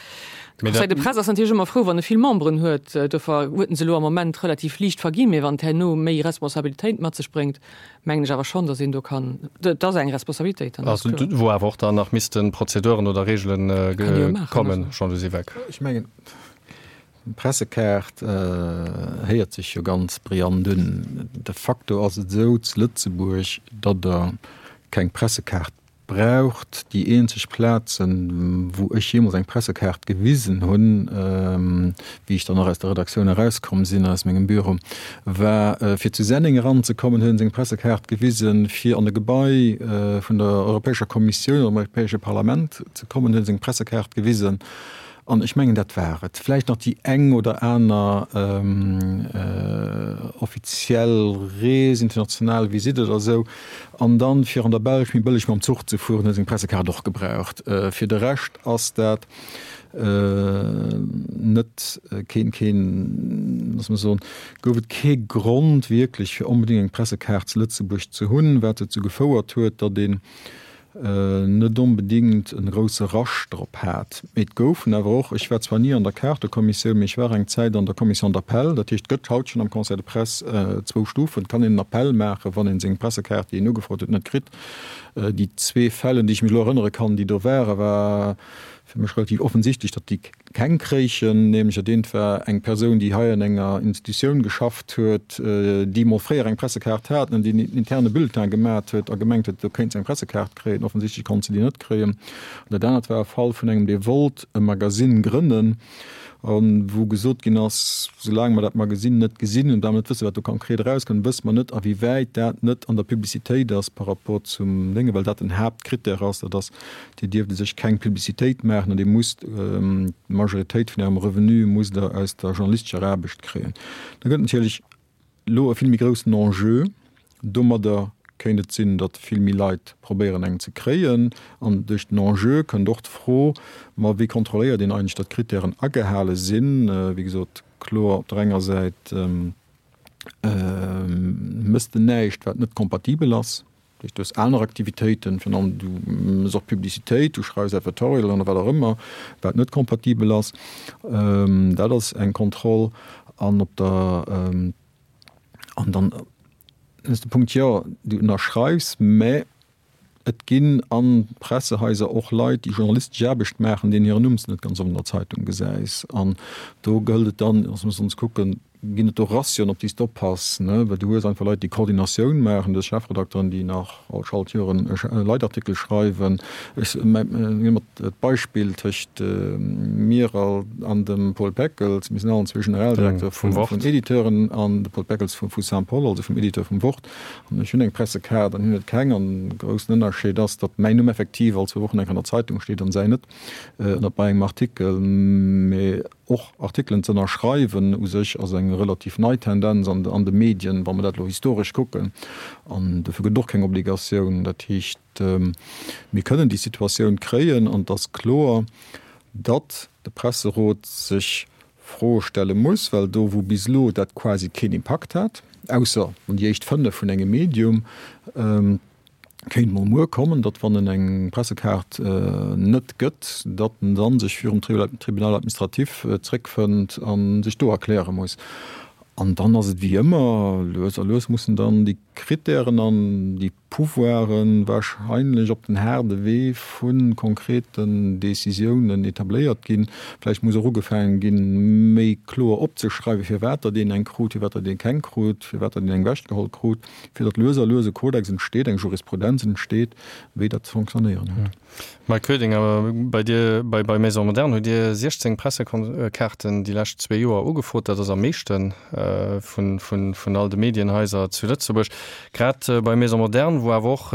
de Conseil de presse ass natierlech ëmmer frou, wann e vill Memberen huet. Dofir huet en se elo am Moment relativ liicht verginn. Mee wann et herno méi Responsabilitéit mat sech bréngt, mengen ech awer schonn, datt een do kann, et ass eng Responsabilitéit dann, ass kloer. Wou awer och dann nach misste Prozeduren oder Reegelen kommen, Jean-Louis Siweck. Ech mengen, D'Pressekaart héiert sech jo ganz brillant un. De facto ass et esou zu Lëtzebuerg, datt Der keng Pressekaart braucht. Déi eenzeg Plazen, wou ech jeemools eng Pressekaart gewisen hunn, wéi ech dann och aus der Redaktioun erauskomm sinn, aus mengem Büro, war fir zu Senneng eranzekommen, huet een seng Pressekaart gewisen, fir an e Gebai vun der Europäescher Kommissioun oder dem Europäesche Parlament ze kommen, huet een seng Pressekaart gewisen. An ech mengen, dat war et. Vläicht nach déi eng oder aner offiziell Rees, international Visitt oder esou. An dann, fir an der Belsch méi bëlleg mam Zuch ze fueren, huet een eng Pressekaart och gebraucht. Fir de Rescht ass dat net keen, keen, loosse mer soen, gouf et kee Grond wierklech, fir onbedéngt eng Pressekaart zu Lëtzebuerg ze hunn, wat dozou gefouert huet, datt een net onbedingt e grousse Rush drop hat. Mee et goufen awer och, ech war zwar ni an der Kaartekommissioun, mee ech war eng Zäit an der Commission d'appel, dat heescht, et gëtt haut schonn am Conseil de presse zwou Stufen, et kann een en Appel maachen, wann ee seng Pressekaart, déi een ugefrot huet, net kritt. Déi zwee Fäll, un déi ech mech elo erënnere kann, déi do waren, war fir mech relativ offensichtlech, datt déi keng kréichen, nämlech dat eent war eng Persoun, déi hei an enger Institutioun geschafft huet, déi emol fréier eng Pressekaart hat an déi en interne Bulletin gemat huet a gemengt huet, do kéint se eng Pressekaart kréien. Offensichtlech konnt se déi net kréien. An dat anert war e Fall vun engem, dee wollt e Magasinn grënnen a wou gesot ginn ass, Soulaang mer dat Magasinn net gesinn und da mer net wëssen, wat do konkret erauskënnt, wësse mer net, awéiwäit dat net an der Publicitéit ass par rapport zum Déngen, well dat den Haaptkrittär ass, dat ass, Dir dierft u sech keng Publicitéit maachen an Dir musst d'Majoritéit vun Ärem Revenu musst Der aus der journalistescher Aarbecht kréien. Da gëtt natierlech elo e vill méi groussen Enjeu. Domadder kéint et sinn, datt vill méi Leit probéieren eng ze kréien. An duerch den Enjeu kënnt och d'Fro, ma wéi kontrolléiert een eigentlech, datt d'Krittären agehale sinn? Wéi gesot, kloer op der enger Säit mësst en näischt, wat net kompatibel ass. Dat heescht, du hues aner Aktivitéiten, virun allem du méchs och Publicitéit, du schreifs Advertorialen oder wat och ëmmer, wat net kompatibel ass. Dat ass eng Kontroll. An op der, an dann ass de Punkt, jo, du ënnerschreifs, mä et ginn a Pressehaiser och Leit, déi journalistesch Aarbecht maachen, deenen hiren Numm s de net ganz oft an der Zeitung gesäis. An do gëllt et dann, also muss ons kucken, ginn et do Ratioen, op déi s de oppass, ne? Well du hues einfach Leit, déi Koordinatioun maachen, du hues Chefredakteren, déi nach all Schaltjoren e Leitartikel schreiwen. Ech ginn ëmmer d'Beispill tëscht mir an dem Paul Peckels, mir sinn allen zwee Generaldirekter vun Editeuren, an de Paul Peckels vu Saint-Paul, also vum Editeur vum Wort. An ech hunn eng Pressekaart an hien huet keng. An de groussen Ënnerscheed ass, datt mäin Numm effektiv all zwou Wochen eng Kéier an der Zeitung steet an säin net, ënnert bei engem Artikel. Mee Och Artikelen ze ënnerschreiwen u sech ass eng relativ nei Tendenz an de Medien, wa mer dat elo historesch kucken. An dofir gëtt et och keng Obligatioun. Dat heescht, mir kënnen déi Situatioun kréien an et ass kloer, datt de Presserot sech Froe stelle muss, well do wou bis elo dat quasi keen Impakt hat, ausser an déi éischt 5 vun engem Medium, Kéint mol muer kommen, datt wann en eng Pressekaart net gëtt, datt en dann sech virum Tribunal administratif zréckfënnt a sech do erkläre muss. An dann ass et wéi ëmmer, lues a lues mussen dann déi Krittären an déi Pouvoire wahrscheinlech op den haarde Wee vu konkreten Décisiounen etabléiert ginn. Vläicht muss och ugefaange ginn, méi kloer opzeschreiwen, firwat datt een eng krut, firwat datt ee keng krut, firwat datt een eng ewechgeholl krut. fir datt lues a lues e Kodex entsteet, eng Jurisprudenz entsteet, wéi dat ze fonctionnéieren huet. Mike Koedinger, bei dir, bei bei Maison Moderne hutt Dir 16 Pressekaarten déi lescht zwee Joer ugefrot. Dat ass am meeschte vun vun vun all de Medienhaiser zu Lëtzebuerg. Grad bei Maison Moderne, wou awer och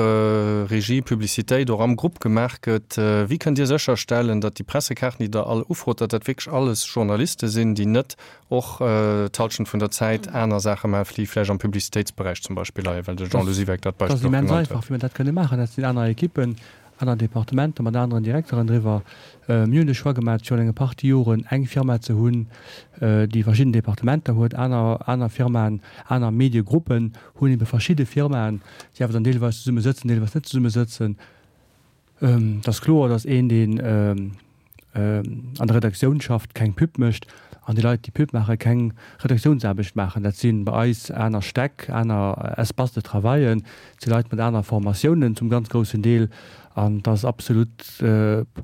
Regie, Publicitéit och am Grupp gemaach gëtt, wéi kënnt Dir sécherstellen, datt déi Pressekaarten, déi Der all ufrot, datt dat wierklech alles Journaliste sinn, déi net och d'Halschent vun der Zäit aner Saache maachen, déi vläicht am Publicitéitsberäich zum Beispill leien, well de Jean-Lou Siweck dat Beispill och genannt huet. Dat ass immens einfach, wéi mer dat kënne maachen. Dat sinn aner Ekippen, aner Departementer mat aneren Direkteren driwwer. Mir hunn de Choix gemaach, virun enge Partie Joren eng Firma ze hunn, déi verschidden Departementer huet. Aner, aner Firmaen, aner Mediegruppen hunn ebe verschidde Firmaen, déi awer dann deelweis zesumme sëtzen, deelweis net zesumme sëtzen. Et ass kloer, datt een, deen an der Redaktioun schafft, keng Pub mécht an déi Leit, déi Pub maachen, keng Redaktiounsaarbecht maachen. Dat si bei eis aner Stäck, aner Espaces de travaillen, et si Leit mat aner Formatiounen zum ganz groussen Deel. An et ass absolut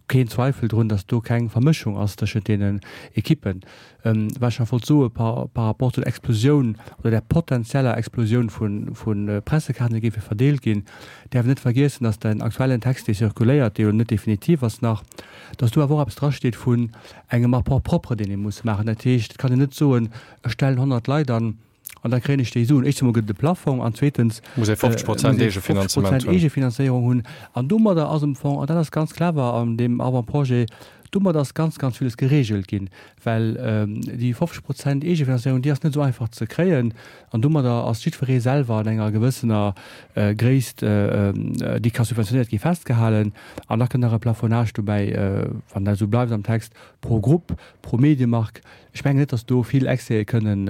keen Zweifel drun, datt do keng Vermëschung ass tëschent deenen Ekippen. Wat ech nach wollt soe par rapport zu der Explosioun oder der potenzieller Explosioun vu Pressekaarten, déi géife verdeelt ginn, däerf een net vergiessen, datt den aktuellen Text, dee circuléiert, dee jo net definitiv ass nach, datt do awer och eppes drasteet vun engem Apport propre, deen ee muss maachen. Dat heescht, et kann een net soen, ech stellen 100 Leit an an da kréien ech déi Suen. Éischtens emol gëtt et e Plafong an zweetens muss ee 50 Prozent Eegefinanzement hunn. Eegefinanzéierung hunn. An domadder ass am Fong, an dat ass ganz clever an deem Avant-projet, domadder ass ganz, ganz villes geregelt ginn, well déi 50 Prozent Eegefinanzéierung, déi ass net esou einfach ze kréien. An domadder ass jiddweree selwer an enger gewëssener Gréisst, déi ka subventionéiert gi, festgehalen. An da kënnt nach e Plafonnage dobäi, wann dat esou bleift am Text, pro Grupp, pro Mediemark. Ech mengen net, datt do vill Excèse kënnen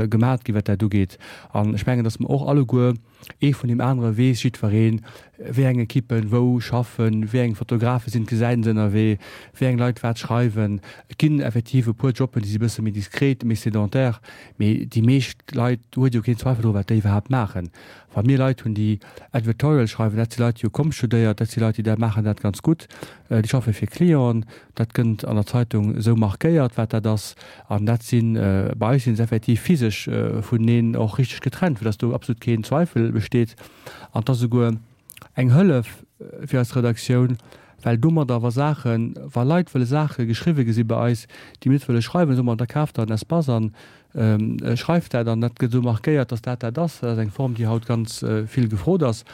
gemat ginn, wat dat ugeet. An ech mengen, datt mer och alleguer, ee vun deem anere weess jiddwereen, wéi eng Ekippen wou schaffen, wéi eng Fotografe sinn, d'gesäit en ënnerwee, wéi eng Leit wat schreiwen. Et ginn effektiv e puer Jobben, déi si bësse méi diskret, méi sédentaire, mee déi meescht Leit, do huet jo keen Zweifel dru wat déi iwwerhaapt maachen. Wa mir Leit hunn, déi Advertorial schreiwen, dat si Leit, déi hu Comms studéiert, dat si Leit, déi dat maachen dat ganz gutt, déi schaffe fir Clienten, dat gënnt an der Zeitung esou markéiert, wat dat ass. An dat sinn, bei eis sinn se effektiv physesch vuneneen och richteg getrennt, fir datt do absolut keen Zweifel besteet. An et ass esouguer eng Hëllef fir eis Redaktioun, well domadder, wa Saachen, wa Leit wëlle Saache geschriwwe gesi bei eis, déi mir net wëlle schreiwen, soe mer, da kaaft der en Espace an schreift dat an dat gëtt esou markéiert, datt dat dat ass. Dat ass eng Form, déi haut ganz vill gefrot ass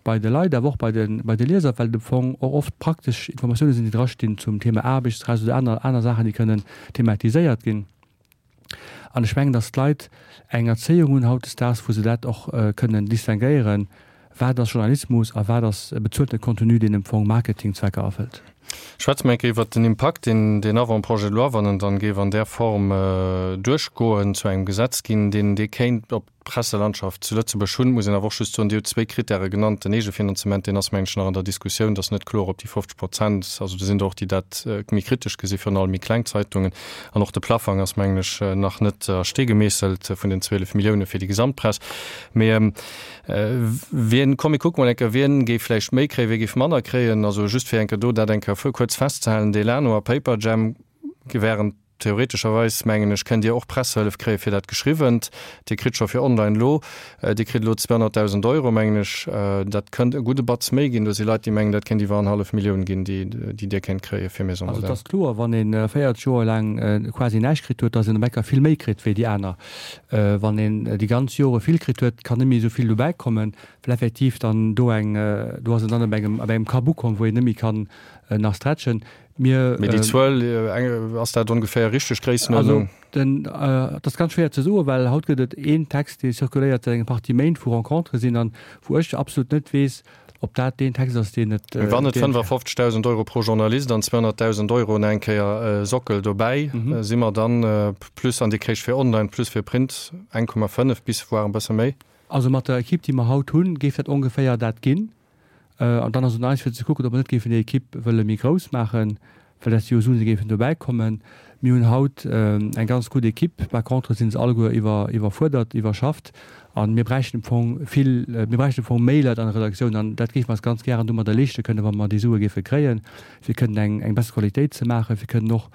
bei de Leit, awer och bei de, bei de Lieser, well et am Fong och oft praktesch Informatioune sinn, déi drastinn zum Thema Aarbechtsrecht oder aner, aner Saachen, déi kënnen thematiséiert ginn. An ech mengen, datt d'Leit eng Erzéiung hunn hautdesdaags, wou se dat och kënnen distinguéieren, Wat ass Journalismus a wat ass bezueltene Contenu, deen am Fong Marketingzwecker erfëllt? Schwätze mer eng Kéier iwwert den Impakt, deen deen Avant-projet de loi, wann en dann géif an där Form duerchgoen, zu engem Gesetz ginn, deen dee kéint op d'Presselandschaft zu Lëtzebuerg hunn. Muss een awer och just soen, Dir hutt zwéi Kritäre genannt, den Eegefinanzement, deen ass, mengen ech, nach an der Diskussioun, et ass net kloer, ob déi 50 Prozent, also do sinn der och, déi dat méi kritesch gesi virun allem méi kleng Zeitungen, an och de Plafang ass, mengen ech, nach net a Stee gemeesselt vun den 12 Millioune fir déi Gesamtpress. Mee Wien, komm mir kucke mol eng Kéier, wien géif vläicht méi kréien, wie géif manner kréien. Also just fir eng Kéier do dat eng Kéier kuerz festzehalen, Delano a Paperjam wären theoretescherweis, mengen ech, kënnt Dir och Pressehëllef kréie fir dat Geschriwwent. Dir kritt scho fir online elo, Dir kritt elo 200.000 Euro, mengen ech. Dat kënnt e gudde Batz méi ginn. Do si Leit, déi mengen, dat kéint iwwer annerhallef Millioun ginn, déi Dir kéint kréie fir Maison Also et ass kloer, wann ee 40 Joer laang quasi näischt kritt huet, datt een op eng Kéier vill méi kritt wéi déi aner. Wann een déi ganz Jore vill kritt huet, kann net méi esou vill dobäi kommen, well effektiv dann do eng, do ass en dann op engem, op engem Kapp ukomm, wou een net méi kann nach stretchen. Mir. Mee déi Zuel, ass dat ongeféier richteg, d'Gréissenuerdnung? Also den, et ass ganz schwéier ze soen, well haut gëtt et een Text, dee circuléiert säit enger Partie Méint, wou Rencontere sinn an wou ech absolut net weess, Ob dat deen Text ass, deen et. Wann et 55.000 Euro pro Journalist an 200.000 Euro nach eng Kéier Sockel dobäi, si mer dann plus, an Dir kréicht fir online plus fir Print 1,5 bis voire e bësse méi. Also mat der Equipe, déi mer haut hunn, géif dat ongeféier dat ginn. An dann ass un eis fir ze kucken, ob mer net géifen déi Equipe wëlle méi grouss maachen. Well dat si jo Suen, déi géifen dobäi kommen. Mir hunn haut eng ganz gutt Equipe, par contre si se alleguer iwwer, iwwerfuerdert, iwwerschafft a mir bräichten am Fong vill, mir bräichten am Fong méi Leit an der Redaktioun an dat géife mer eis ganz gären domadder leeschte kënnen, wa mer déi Sue géife kréien, fir kënnen eng, eng besser Qualitéit ze maachen, fir kënnen och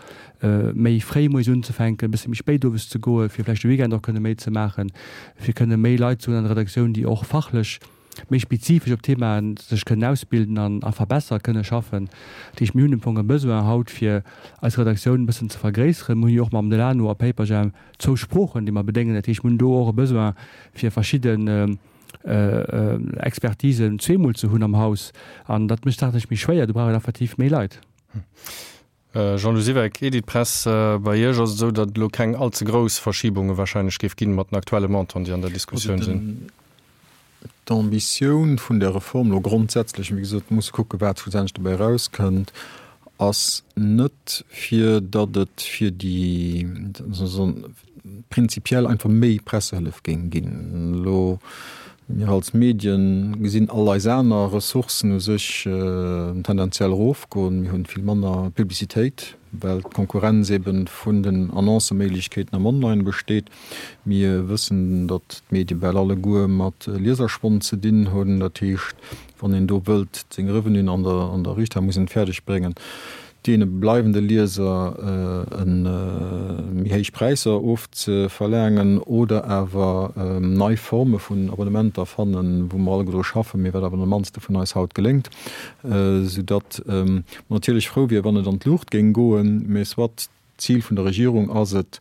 méi fréi moies unzefänken, e bësse méi spéit owes ze goen, fir vläicht de Weekend och kënne méi ze maachen, fir kënne méi Leit ze hunn an der Redaktioun, déi och fachlech méi spezifesch op Themaen sech kënnen ausbilden an a verbessere kënne schaffen. Dat heescht, mir hunn am Fong e Besoin haut, fir eis Redaktioun e bëssen ze vergréisseren. Mir hunn jo och mam Delano a Paperjam zwou Sproochen, déi mer bedéngen. Dat heescht, mir hunn do och e Besoin, fir verschidden Expertisen zweemol ze hunn am Haus. An dat mécht d'Saach méi schwéier. Do brauch een effektiv méi Leit. Jean-Lou Siweck, Editpress, Bei Iech ass et esou, datt et elo keng all ze grouss Verschibunge wahrscheinlech géif ginn mat den aktuelle Montanten, déi an der Diskussioun sinn. D'Ambitioun vun der Reform elo grondsätzlech, wéi gesot, mir musse kucken, wat schlussendlech dobäi erauskënnt, ass net, fir datt et fir déi, prinzipiell einfach méi Pressehëllef géing ginn. Elo. Mir als Medien gesinn all eis aner Ressourcen u sech tendenziell erofgoen. Mir hunn vill manner Publicitéit, well d'Konkurrenz eben vun den Annoncëméiglechkeeten am Online besteet. Mir wëssen, datt d'Medie bal alleguer mat Lieserschwond ze dinn hunn. Dat heescht, wann een do wëllt seng Revenuen an der an der Riicht ha muss een et fäerdeg bréngen, deene bleiwende Lieser méi héich Präisser ofzeverlaangen oder awer nei Forme vun Abonnementer fannen, wou mer alleguer dru schaffen, mee wat awer de mannste vun eis haut geléngt, soudatt mer natierlech frou wier, wann et an d'Luucht géing goen. Mee soit, d'Zil vun der Regierung ass et,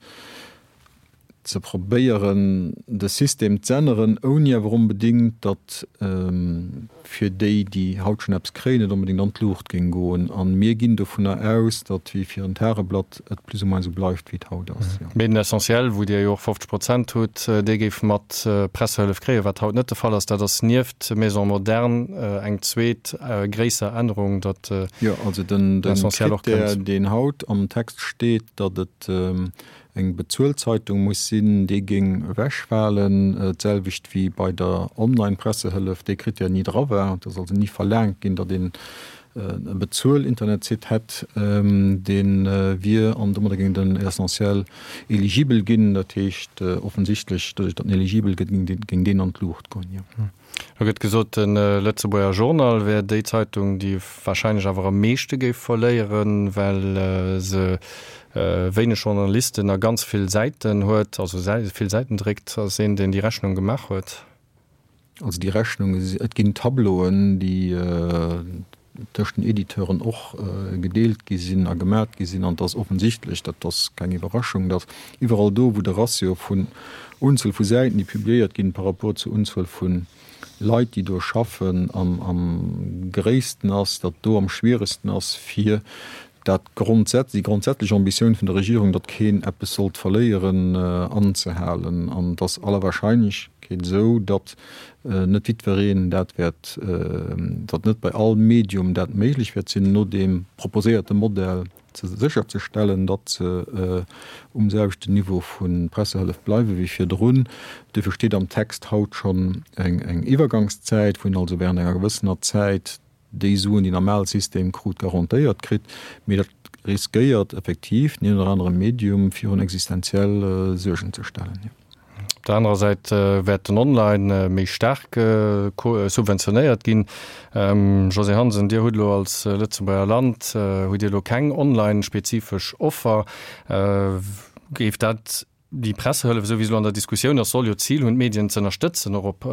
ze probéieren de System z'änneren, ouni awer onbedéngt, datt fir déi, déi haut schonn eppes kréien, et onbedéngt an d'Luucht géing goen. A mir ginn dovunner aus, datt wéi fir en Tageblatt et plus ou moins esou bleift, wéi et haut ass. Mee den Essentiel, wou Dir jo och 50 Prozent hutt, dee géif mat Pressehëllef kréien, wat haut net de Fall ass. Dat ass nieft Maison moderne eng zweet gréisser Ännerung, datt Jo, also den Critère, deen haut am Text steet, datt et eng Bezuelzeitung muss sinn, dee géing ewechfalen, d'selwecht wéi bei der Online-Pressehëllef dee Critère ni dra war. Et ass also ni verlaangt ginn, datt een e Bezuel-Internetsite hätt, dee wier an domadder géing den Essentiel eligibel ginn. Dat heescht offensichtlech, doduerch datt en eligibel gëtt, géing deen an d'Luucht goen, jo. Lo gëtt gesot, de Lëtzebuerger Journal wär déi Zeitung, déi warscheinlech awer am meeschte géif verléieren, well se wéineg Journalisten a ganz vill Säiten huet, also vill Säiten dréckt. Ass een, deen déi Rechnung gemaach huet? Also déi Rechnung, et ginn Tableauen, déi tëscht den Editeuren och gedeelt gi sinn a gemat gi sinn. An et ass offensichtlech, dat ass keng Iwwerraschung, datt iwwerall do, wou de Ratio vun Unzuel vu Säiten, déi publiéiert ginn, par rapport zur Unzuel vu Leit, déi do schaffen, am gréissten ass, datt do am schwieregsten ass, fir dat grondsätz, déi grondsätzlech Ambitioun vun der Regierung, datt keen eppes sollt verléieren, anzehalen. An et ass aller Wahrscheinlechkeet esou, datt net jiddwereen dat wäert, datt net bei all Medium dat méiglech wäert sinn, no deem proposéierte Modell ze sécherzestellen, datt se um selwechten Niveau vu Pressehëllef bleiwe wéi virdrun. Duerfir steet am Text haut schonn eng Iwwergangszäit, wou een also während enger gewëssener Zäit déi Suen, déi en am ale System krut, garantéiert kritt. Mee dat riskéiert effektiv den een oder anere Medium virun existenziell Suergen ze stellen. Op der anerer Säit wäert den Online méi staark subventionéiert ginn. Josée Hansen, Dir hutt elo als Lëtzebuerger Land hutt Dir elo keng online-spezifesch Offer. Géif dat Déi Pressehëllef, esou wéi se elo an der Diskussioun ass, soll jo d'Zil hunn, d'Medien z'ënnerstëtzen, och op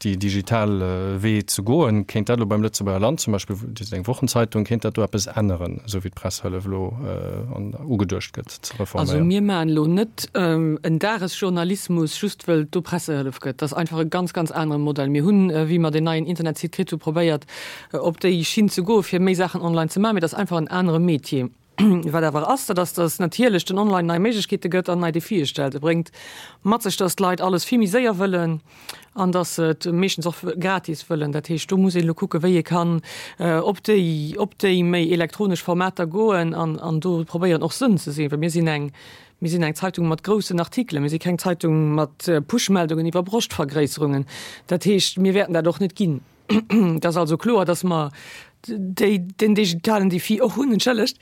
déi digital Wee ze goen. Kéint dat elo beim Lëtzebuerger Land zum Beispill, Dir sidd eng Wochenzeitung, kéint dat do eppes änneren, esou wéi d'Pressehëllef elo ugeduecht gëtt ze reforméieren? Also mir maachen elo net en Dagesjournalismus, just wëll et do Pressehëllef gëtt. Dat ass einfach e ganz, ganz anere Modell. Mir hunn, wéi mer deen neien Internetsite kritt hu probéiert, op déi Schinn ze goen, fir méi Saachen online ze maachen, mee dat ass einfach en anere Metier. Wat awer ass, dat ass, datt natierlech den Online nei Méiglechkeete gëtt an nei Defie stellt. E bréngt mat sech, datt d'Leit alles vill méi séier wëllen an datt se et meeschtens och gratis wëllen. Dat heescht, do muss een elo kucken, wéi ee kann op déi, op déi méi elektronesch Formater goen an, an do probéieren och Sënn ze sinn, well mir sinn eng, mir sinn eng Zeitung mat groussen Artikelen, mir si keng Zeitung mat Pushmeldungen iwwer Broschtvergréisserungen. Dat heescht, mir wäerten dat och net ginn. Et ass also kloer, dass mer déi, den digitalen Defi och hunn, entschëllegt,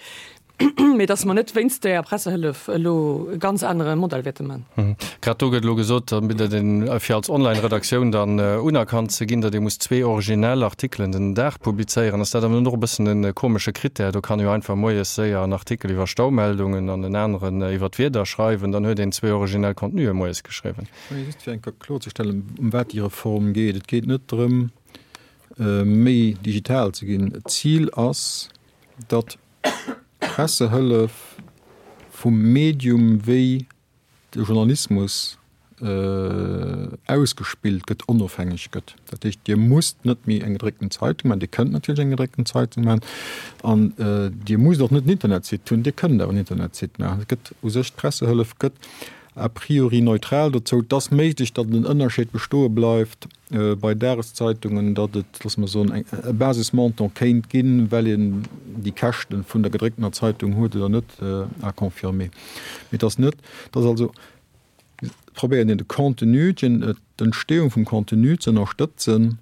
mee dass mer net wéinst där Pressehëllef elo e ganz anere Modell wäerte man. Grad do gëtt elo gesot, datt een, fir als Online-Redaktioun dann unerkannt ze ginn, datt ee muss zwee originell Artikelen den Dag publizéieren. Ass dat awer net och e bëssen e komesche Krittär? Do kann ee jo einfach moies séier en Artikel iwwer Staumeldungen an en aneren iwwer d'Wieder schreiwen, dann huet een zwee originell Contenue moies geschriwwen. Just fir eng Kéier kloerzestellen, ëm wat déi Reform geet. Et geet net drëm, méi digital ze ginn. D'Zil ass, datt d'Pressehëllef vum Medium, wéi de Journalismus ausgespillt gëtt, onofhängeg gëtt. Dat heescht, Dir musst net méi eng gedréckten Zeitung maachen. Dir kënnt natierlech eng gedréckten Zeitung maachen. An Dir musst och net en Internetsite hunn. Dir kënnt awer en Internetsite maachen. Et gëtt u sech, d'Pressehëllef gëtt a priori neutral dozou. Et ass méiglech, datt en Ënnerscheed bestoe bleift bei Dageszeitungen, datt et, loosse mer soen, e Basismontant kéint ginn, well een déi Käschte vun der gedrécktener Zeitung huet oder net, à confirmer. Mee et ass net, et ass also, probéieren een de Contenu,. d'Entstehung vum Contenu ze ënnerstëtzen,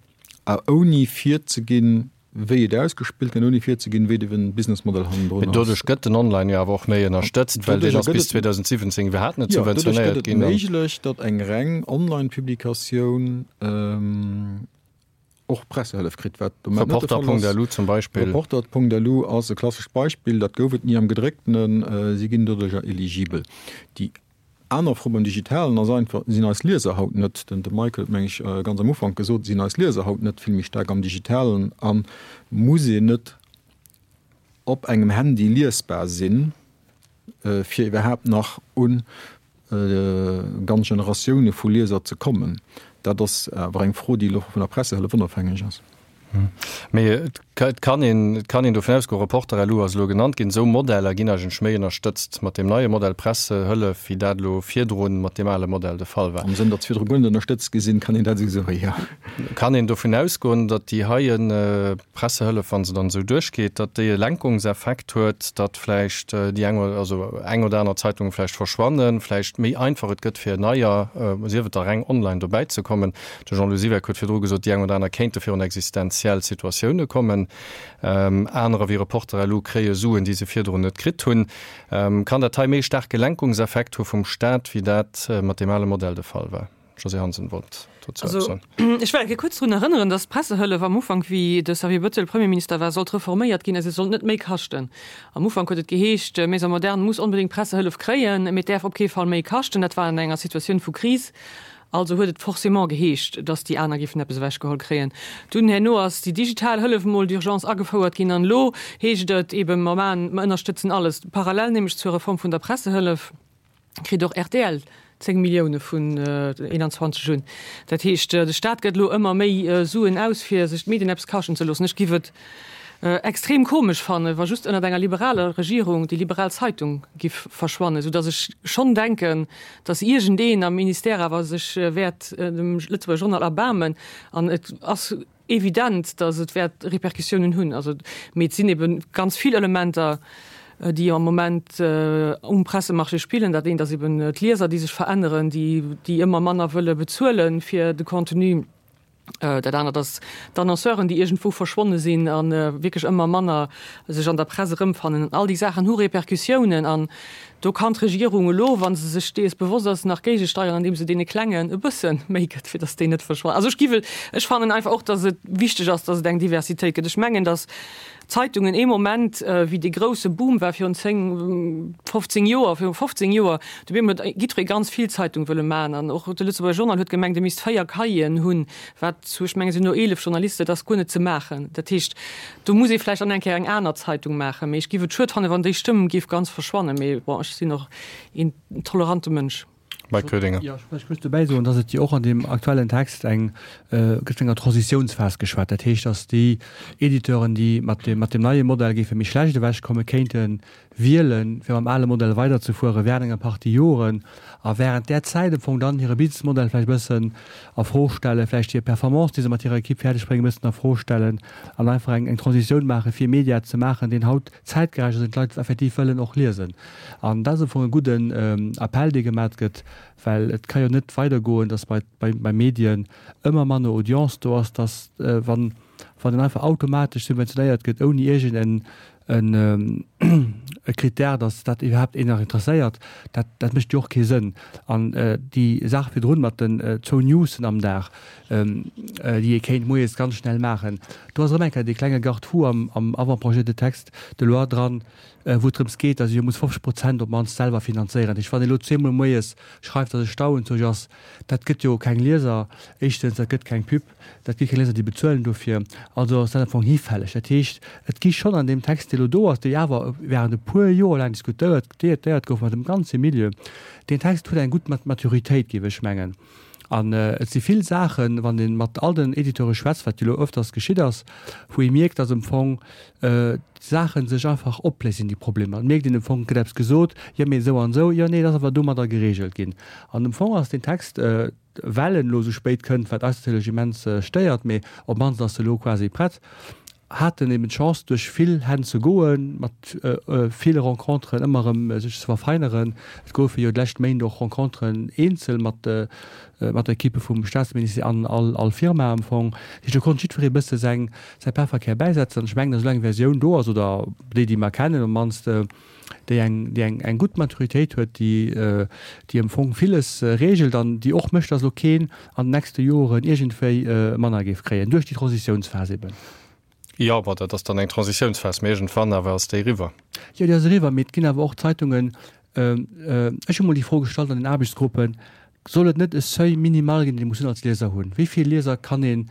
a ouni virzeginn, wéi et ausgespillt gëtt, ouni virzeginn, wéi de Businessmodell hannendrun ass. Mee doduerch gëtt den Online jo awer och méi ënnerstëtzt, well deen ass bis 2017 iwwerhaapt net subventionéiert ginn. Jo, doduerch gëtt et méiglech, datt eng reng Online-Publikatioun och Pressehëllef kritt, wat de Moment net de Fall ass. Reporter.lu zum Beispill. Reporter.lu ass e klassescht Beispill, dat gouf et ni am Gedrécktenen, si ginn doduercher eligibel. Déi Aner Fro beim Digitalen ass einfach, Sinn eis Lieser haut net, den de Michael huet meng ech ganz am Ufank gesot, sinn eis Lieser haut net vill méi staark am Digitalen a muss een net op engem Handy liesbar sinn, fir iwwerhaapt nach u ganz Generatioune vu Lieser ze kommen? Dat ass awer eng Fro, déi elo vun der Pressehëllef onofhängeg ass. Mee et kann een, et kann een dovun ausgoen, Reporter.lu ass elo genannt ginn, esou Modeller ginn eigentlech méi ënnerstëtzt mat deem neie Modell Pressehëllef, wéi dat elo virdrun mat deem ale Modell de Fall war. Am Sënn, datt se virdru guer net ënnerstëtzt gi sinn, kann een dat esou soen, jo. Kann een dovun ausgoen, datt déi heie Pressehëllef, wa se dann esou duerchgeet, datt déi e Lenkungseffekt huet, datt vläicht déi eng oder, also eng oder aner Zeitung vläicht verschwannen, vläicht méi einfach et gëtt fir neier, sief et da reng online, dobäizekommen? De Jean-Lou Siweck huet virdru gesot, déi eng oder aner kéinte virun existenziell Situatioune kommen. Anerer wéi Reporter.lu kréie Suen, déi se virdrun net kritt hunn. Kann dat hei méi staarke Lenkungseffekt hu vum Staat, wéi dat mat deem ale Modell de Fall war? D'Josée Hansen wollt dozou eppes soen. Ech well eng Kéier kuerz drun erënneren, datt d'Pressehëllef am Ufank, wéi de Xavier Bettel Premierminister war, sollt reforméiert ginn a se sollt net méi kaschten. Am Ufank huet et geheescht, Maison Moderne muss onbedéngt Pressehëllef kréien, mee et däerf op kee Fall méi kaschten. Dat war an enger Situatioun vu Kris. Also huet et forcément geheescht, dass déi aner géifen eppes ewechgeholl kréien. Dunn herno ass déi digital Hëllef emol d'urgence agefouert ginn an elo heescht et eben, mer maachen, mer ënnerstëtzen alles. Parallel nämlech zur Reform vun der Pressehëllef kritt och rtl 10 Millioune vun 21 un. Dat heescht, de Staat gëtt elo ëmmer méi Suen aus, fir sech d'Medien eppes kaschten ze loossen. Ech giff et extrem komesch fannen, wa just ënnert enger liberaler Regierung déi liberal Zeitung giff verschwannen, soudass ech schonn denken, dass iergendeen am Ministère awer sech wäert dem Lëtzebuerger Journal erbaarmen an et ass evident, dass et wäert Répercussiounen hunn. Also, mee et sinn ebe ganz vill Elementer, déi am Moment um Pressemarché spillen. Dat eent ass eben d'Lieser, déi sech veränneren, déi, déi ëmmer manner wëlle bezuele fir de Contenu. Dat anert ass d'Annonceuren, déi iergendwou verschwonne sinn a wierklech ëmmer manner sech an der Press erëmfannen. An all déi Saachen hu Repercussiounen. An do kann d'Regierung elo, wa se sech dees bewosst ass, nach géigesteieren, andeem se deene Klengen e bësse méi gëtt, fir datt déi net verschwannen. Also ech gi wëll, ech fannen einfach och, datt et wichteg ass, datt et eng Diversitéit gëtt. Ech mengen, datt Zeitungen ee Moment, wéi dee grousse Boom war virun 10, 15 Joer, viru 15 Joer, do op eemol huet jiddweree ganz vill Zeitung wëlle maachen an och de Lëtzebuerger Journal huet gemengt, e misst 4 Cahieren hunn, wat zu, ech mengen, et sinn elo 11 Journalisten, dat ass guer net ze maachen. Dat heescht, do muss ee vläicht dann eng Kéier eng aner Zeitung maachen. Mee ech géif et schued fannen, wann déi Stëmm géif ganz verschwannen. Mee bon, ech sinn och een tolerante Mënsch. Mike Koedinger. Jo, ech wollt just dobäi soen, dass et jo och an deem aktuellen Text eng, gëtt vun enger Transitiounsphas geschwat. Dat heescht, dass déi Editeuren, déi mat deem, mat deem neie Modell géife méi schlecht ewechkommen, kéinte wielen, fir mam ale Modell weiderzefuere während enger Partie Joren a während där Zäit am Fong dann hire Businessmodell vläicht e bëssen a Fro stellen, vläicht hir Performance, déi se mat hirer Equipe fäerdegbréngen, e bëssen a Fro stellen an einfach eng, eng Transitioun maachen, fir e Media ze maachen, deen haut zäitgerecht ass, deen d'Leit effektiv wëllen och liesen. An dat ass am Fong e gudden Appell, dee gemat gëtt, well et ka jo net weidergoen, datt bei, bei, bei Medien ëmmer manner Audience do ass, datt, wann, wann en einfach automatesch subventionéiert gëtt, ouni iergend en, en, e Critère, datt dat iwwerhaapt een nach interesséiert, dat, dat mécht jo och kee Sënn. An déi Saach virdrun mat den zwou Newsen am Dag, déi ee kéint moies ganz schnell maachen, do ass erëm eng Kéier dee klenge Garde-fou am, am Avant-projet de texte de loi dran, wou et drëms geet, datt ee jo muss 50 Prozent op d'mannst selwer finanzéieren. Dat heescht, wann ee elo zweemol moies schreift, datt e Stau en Zuch ass, dat gëtt jo keng Lieser, éischtens, dat gëtt keng Pub, dat gi keng Lieser, déi bezuelen dofir, also ass dat am Fong hifälleg. Dat heescht, et gi schonn an deem Text, dee elo do ass, dee awer während e puer Joer laang diskutéiert, déiert gouf mat dem ganze Milieu, deen Text huet eng gutt Maturitéit, géif ech mengen. An et si vill Saachen, wann ee mat all den Editeure schwätzt, wat jo elo öfters geschitt ass, wou ee mierkt, datt am Fong d'Saache sech einfach opléisen, déi Problemer. Et mierkt een am Fong, et gëtt eppes gesot, jo mee esou an esou, jo nee, dat ass awer domadder geregelt ginn. An am Fong ass deen Text, well en elo esou spéit kënnt, wat eis natierlech immens stéiert, mee op d'mannst ass e elo quasi prett. haten eben d'Chance duerch vill Hänn ze goen, mat ville Renconteren ëmmer erëm sech ze verfeineren. Et goufe jo d'lescht Méint och Renconteren eenzel mat mat der Equipe vum Staatsministère an all all Firma am Fong. Dat heescht do konnt jiddweree bësse säin säi Pefferkär bäisetzen. An ech mengen, datt elo eng Versioun do ass, oder déi déi mer kennen op d'mannst, déi eng, déi eng, eng gutt Maturitéit huet, déi, déi am Fong villes regelt an déi och mécht, dass elo keen an den nächste Joren iergendwéi manner géif kréien, duerch déi Transitiounsphas eben. Jo, bon, dat ass dann eng Transitiounsphas, mee iergendwann awer ass déi eriwwer. Jo, déi ass eriwwer, mee et ginn awer och Zeitungen, ech hu mol déi Fro gestallt an den Aarbechtsgruppen, Soll et net e Seuil minimal ginn, dee muss een als Lieser hunn? Wéi vill Lieser kann een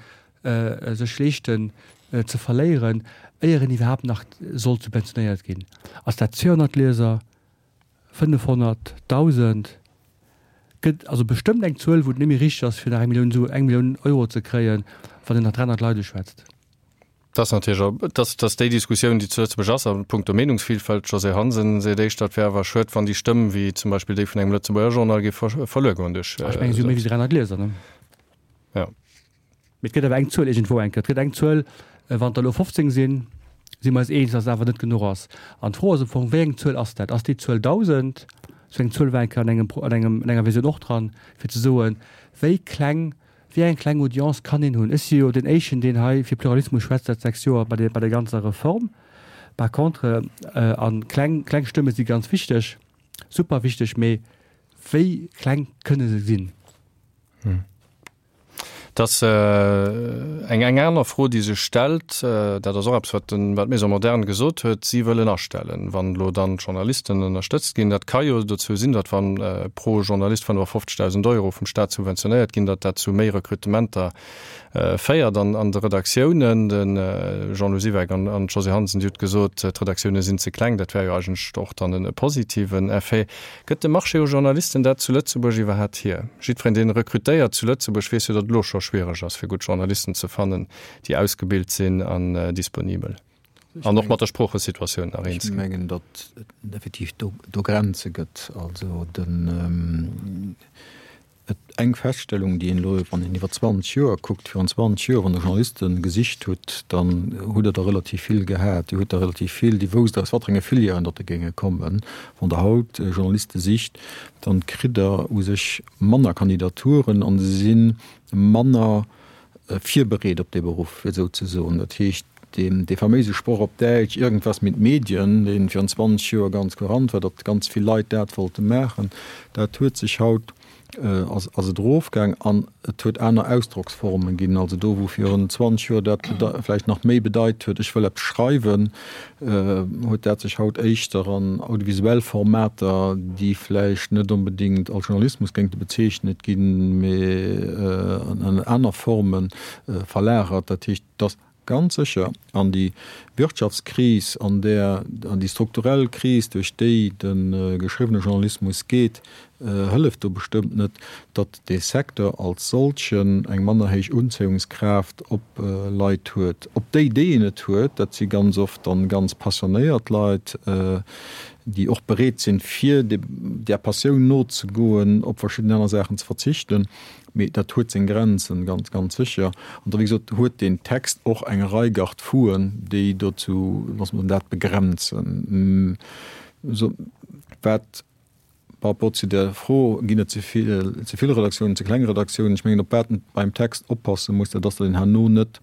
sech leeschten ze verléieren, éier en iwwerhaapt nach sollt subventionéiert ginn? Ass dat 200 Lieser, 500, 1.000? Gëtt also bestëmmt eng Zuel, wou et net méi richteg ass, fir nach eng Millioun Suen, eng Millioun Euro ze kréien, wann een nach 300 Leit uschwätzt. Dat ass natierlech och, dat ass déi Diskussioun, déi zu Lëtzebuerg ass a puncto Meenungsvilfalt. D'Josée Hansen seet éischter, et wär awer schued, wann déi Stëmm, wéi zum Beispill déi vun engem Lëtzebuerger Journal, géif verluer goen duerch. Ech mengen, si hu méi wéi 300 Lieser, ne? Jo. Mee et gëtt awer eng Zuel iergendwou eng Kéier. Et gëtt eng Zuel, wann der elo 15 sinn, si mer eis eens, datt et awer net genuch ass. An d'Fro ass am Fong, wéi eng Zuel ass dat? Ass déi Zuel 1.000? Esou eng Zuel war eng Kéier an engem, an engem, an enger Versioun och dran, fir ze soen, wéi kleng, wéi eng kleng Audience kann een hunn? Ech si jo deen Éischten, deen hei fir Pluralismus schwätzt säit 6 Joer bei der, bei der ganzer Reform. Par contre, a kleng, kleng Stëmme si ganz wichteg, super wichteg, mee wéi kleng kënne se sinn? Et ass eng eng aner Fro, déi sech stellt, dat ass och eppes, wat den, wat d'Maison moderne gesot huet, si wëllen astellen, wann elo dann d'Journalisten ënnerstëtzt ginn. Dat ka jo dozou sinn, datt wann pro Journalist 55.000 Euro vum Staat subventionéiert ginn, datt dat zu méi Rekrutementer féiert an an de Redaktiounen. De Jean-Lou Siweck an an d'Josée Hansen, Dir hutt gesot, d'Redaktioune sinn ze kleng. Dat wär jo eigentlech och dann e positiven Effet. Gëtt de Marché u Journalisten dat zu Lëtzebuerg iwwerhaat hier? Jiddwereen deen rekrutéiert zu Lëtzebuerg weess jo, datt et elo scho schwiereg ass fir gutt Journalisten ze fannen, déi ausgebilt sinn an disponibel an och mat der Sproochesituatioun nach eens ginn. Ech mengen, datt et effektiv do Grenze gëtt. Also den. Et eng Feststellung, déi een elo, wann een iwwer 20 Joer kuckt, virun 20 Joer, wann Der Journaliste gesicht hutt, dann hutt Der der relativ vill gehat. Dir hutt der relativ vill, déi wousst, aus wat fir enge Filièren datt der géinge kommen. Wann Der haut Journaliste sicht, dann kritt Der u sech manner Kandidaturen an se si manner virbereet op dee Beruff, fir esou ze soen. Dat heescht, dee faméise Sproch op Däitsch, Irgendwas mit Medien, dee virun 20 Joer ganz courant war, datt ganz vill Leit dat wollte maachen, dat huet sech haut, ass et erofgaang an et huet aner Ausdrocksformen ginn. Also do, wou virun 20 Joer dat vläicht nach méi bedeit huet, ech wëll eppes schreiwen, huet dat sech haut éischter an audiovisuell Formater, déi vläicht net onbedéngt als Journalismus géingte bezeechnet ginn, mee an aner Forme verlagert. Dat heescht, dass ganz sécher an déi Wirtschaftskris, an där, an déi strukturell Kris, duerch déi de geschriwwene Journalismus geet, hëlleft do bestëmmt net, datt dee Secteur als solchen eng manner héich Unzéiungskraaft op Leit huet. Op déi, déi en et huet, dat si ganz oft dann ganz passionéiert Leit, déi och bereet sinn, fir där Passioun nozegoen, op verschidden aner Saachen ze verzichten. Mee dat huet seng Grenzen, ganz, ganz sécher. An da, wéi gesot, huet deen Text och eng Rei Garde-fouen, déi dozou, loosse mer dat begrenzen. Wat par rapport zu der Fro, ginn et ze vill, ze vill Redaktiounen, ze kleng Redaktiounen, ech mengen, op wat een beim Text oppasse muss, dat ass, datt een herno net,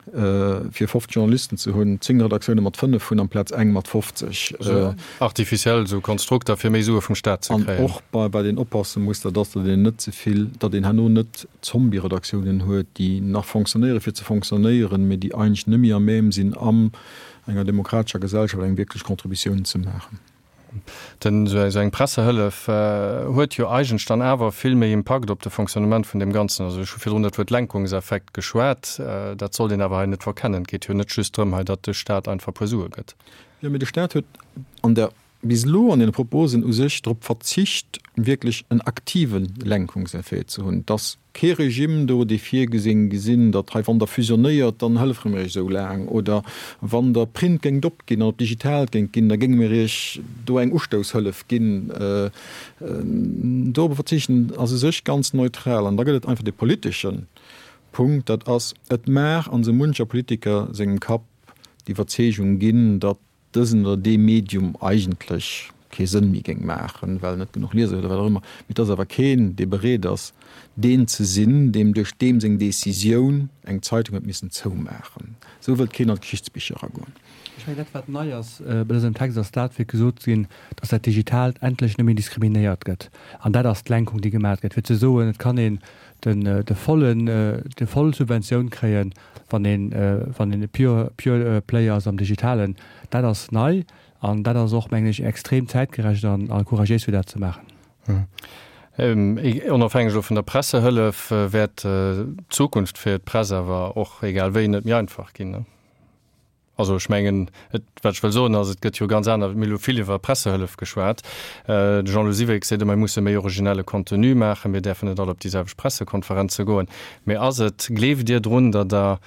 fir 50 Journalisten ze hunn, 10 Redaktioune mat 5 hunn amplaz eng mat 50. Esou artificiell esou Konstrukter fir méi Sue vum Staat ze kréien. An och bei wat een oppasse muss, dat ass, datt een net ze vill, datt een herno net Zombie-Redaktiounen huet, déi nach fonctionnéiere fir ze fonctionnéieren, mee déi eigentlech net méi à même sinn an enger demokratescher Gesellschaft eng wierklech Contributioun ze maachen. Den, esou eng Pressehëllef huet jo eigentlech dann awer vill méi Impakt op de Fonctionnement vun deem Ganzen. Also ech hu virdrun dat Wuert Lenkungseffekt geschwat, dat sollt een awer hei net verkennen. Et geet jo net just drëm hei, datt de Staat einfach e puer Sue gëtt. Jo, mee de Staat huet an der, bis elo an deene Proposen u sech drop verzicht, wierklech en aktive Lenkungseffet ze hunn. Dass Kee Regime do, dee virgesinn gesinn, datt hei wann Der fusionéiert, dann hëllefere mir Iech esou laang, oder wann Der Print géingt opginn an op digitaalt géingt ginn, da géinge mir Iech do eng Ustoushëllef ginn. Dorobber verzichten ass u sech ganz neutral. An da gëtt et einfach dee politesche Punkt, dat ass, et mag an esou muncher Politiker sengem Kapp. d'Iwwerzeegung ginn, datt dësen oder dee Medium eigentlech kee Sënn méi géing maachen, well en net genuch Lieser huet oder wat och ëmmer. Mee et ass awer keen, dee bereet ass, deen ze sinn, deem duerch deem seng Decisioun eng Zeitung huet missen zoumaachen. Esou wëllt keen an d'Geschichtsbicher eragoen. Ech mengen, dat wat nei ass bei dësem Text, ass dat, fir gesot ze ginn, dass dat Digitaalt endlech net méi diskriminéiert gëtt. An dat ass d'Lenkung, déi gemaach gëtt, fir ze soen, et kann een den, de vollen, déi voll Subventioun kréien, wann een, wann een e pure, pure player ass am Digitalen. Dat ass nei an dat ass och, mengen ech, extrem zäitgerecht an a couragéis, fir dat ze maachen. Onofhängeg elo vun der Pressehëllef wäert d'Zukunft fir d'Press awer och, egal wéi, net méi einfach ginn. Also ech mengen, et, wat ech wëll soen ass, et gëtt jo ganz aner, mir hu vill iwwer Pressehëllef geschwat. De Jean-Lou Siweck seet ëmmer, mir musse méi originelle Contenu maachen, mir däerfen net all op déi selwecht Pressekonferenze goen. Mee ass et, gleeft Dir drun, datt Der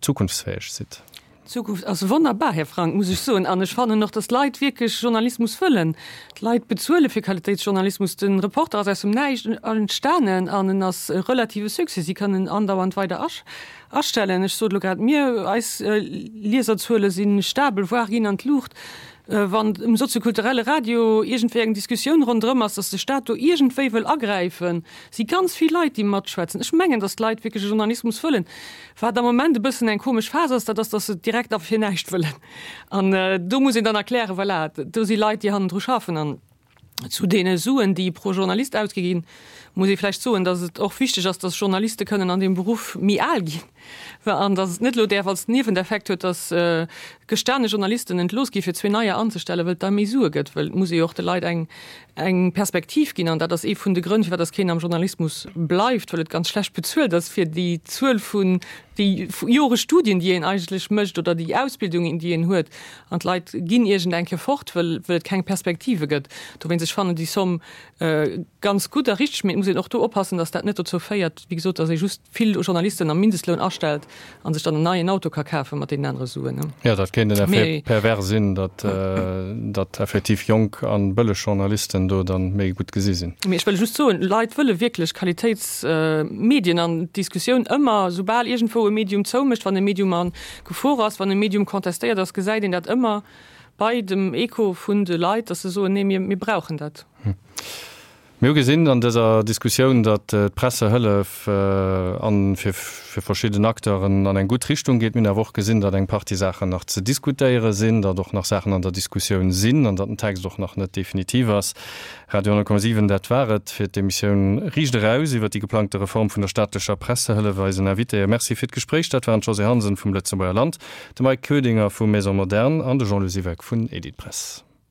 zukunftsfäeg sidd? D'Zukunft ass wonnerbar, Här Frank, muss ech soen. An ech fannen och, datt d'Leit wierklech Journalismus wëllen. D'Leit bezuele fir Qualitéitsjournalismus. De Reporter ass aus dem Näischt entstanen an en ass e relative Succès. Si kënnen andauernd weider Astellen. Ech sot elo grad, mir, eis Lieserzuele si stabel, voire ginn an d'Luucht. Wann um soziokulturelle Radio iergendwéi eng Diskussioun ronderëm ass, datt de Staat do iergendwéi wëll agräifen, si ganz vill Leit, déi matschwätzen. Ech mengen, datt d'Leit wierklech e Journalismus wëllen. Wat am Moment e bëssen eng komesch Phas ass, dat ass, datt se et direkt a fir näischt wëllen. An do muss een dann erklären, voilà, do si Leit, déi hannendru schaffen. An Zu deene Suen, déi pro Journalist ausgi ginn, muss ee vläicht soen, datt et och wichteg ass, datt Journaliste kënnen an deem Beruff méi al ginn an datt et net elo däerf als Niewendeffekt huet, datt gestane Journalisten entlooss gi fir zwee neier anzestellen, wëll et da méi Sue gëtt. Wëll et muss ee jo och de Leit eng eng Perspektiv ginn an dat ass ee vun de Grënn, firwat datt keen am Journalismus bleift, wëll et ganz schlecht bezuelt ass fir déi Zuel vun déi Jore Studien, déi een eigentlech mécht oder déi Ausbildung, déi een huet. An d'Leit ginn iergend eng Kéier fort, wëll et keng Perspektive gëtt. Dowéinst, ech fannen déi Somm ganz gutt a richteg, mee et muss een och do oppassen, datt dat net dozou féiert, wéi gesot, datt ee just vill Journalisten am Mindestloun astellt a sech dann en neien Auto ka kafe mat deenen anere Suen. Jo, dat kéint en Effet pervers sinn, datt datt effektiv jonk a bëlleg Journalisten do dann méi gutt gesi sinn. Mee ech wëll just soen, Leit wëlle wierklech Qualitéitsmedien an d'Diskussioun ëmmer, soubal iergendwou e Medium zoumécht, wann e Medium a Gefor ass, wann e Medium contestéiert ass, gesäit een dat ëmmer bei dem Echo vun de Leit, dass se soen, nee, mir, mir brauchen dat. Mir hu gesinn an dëser Diskussioun, datt d'Pressehëllef an fir fir verschidden Acteuren an eng gutt Richtung geet. Mir hunn awer och gesinn, datt eng Partie Saachen nach ze diskutéiere sinn, datt och nach Saachen an der Diskussioun sinn an datt den Text och nach net definitiv ass. Radio 10,7, dat war et fir d'Emissioun Riicht eraus iwwer déi geplangte Reform vun der staatlecher Pressehëllef. Eisen Invitéë Merci fir d'Gespréich, dat waren d'Josée Hansen vum Lëtzebuerger Land, de Mike Koedinger vu Maison Moderne an de Jean-Lou Siweck vun Editpress.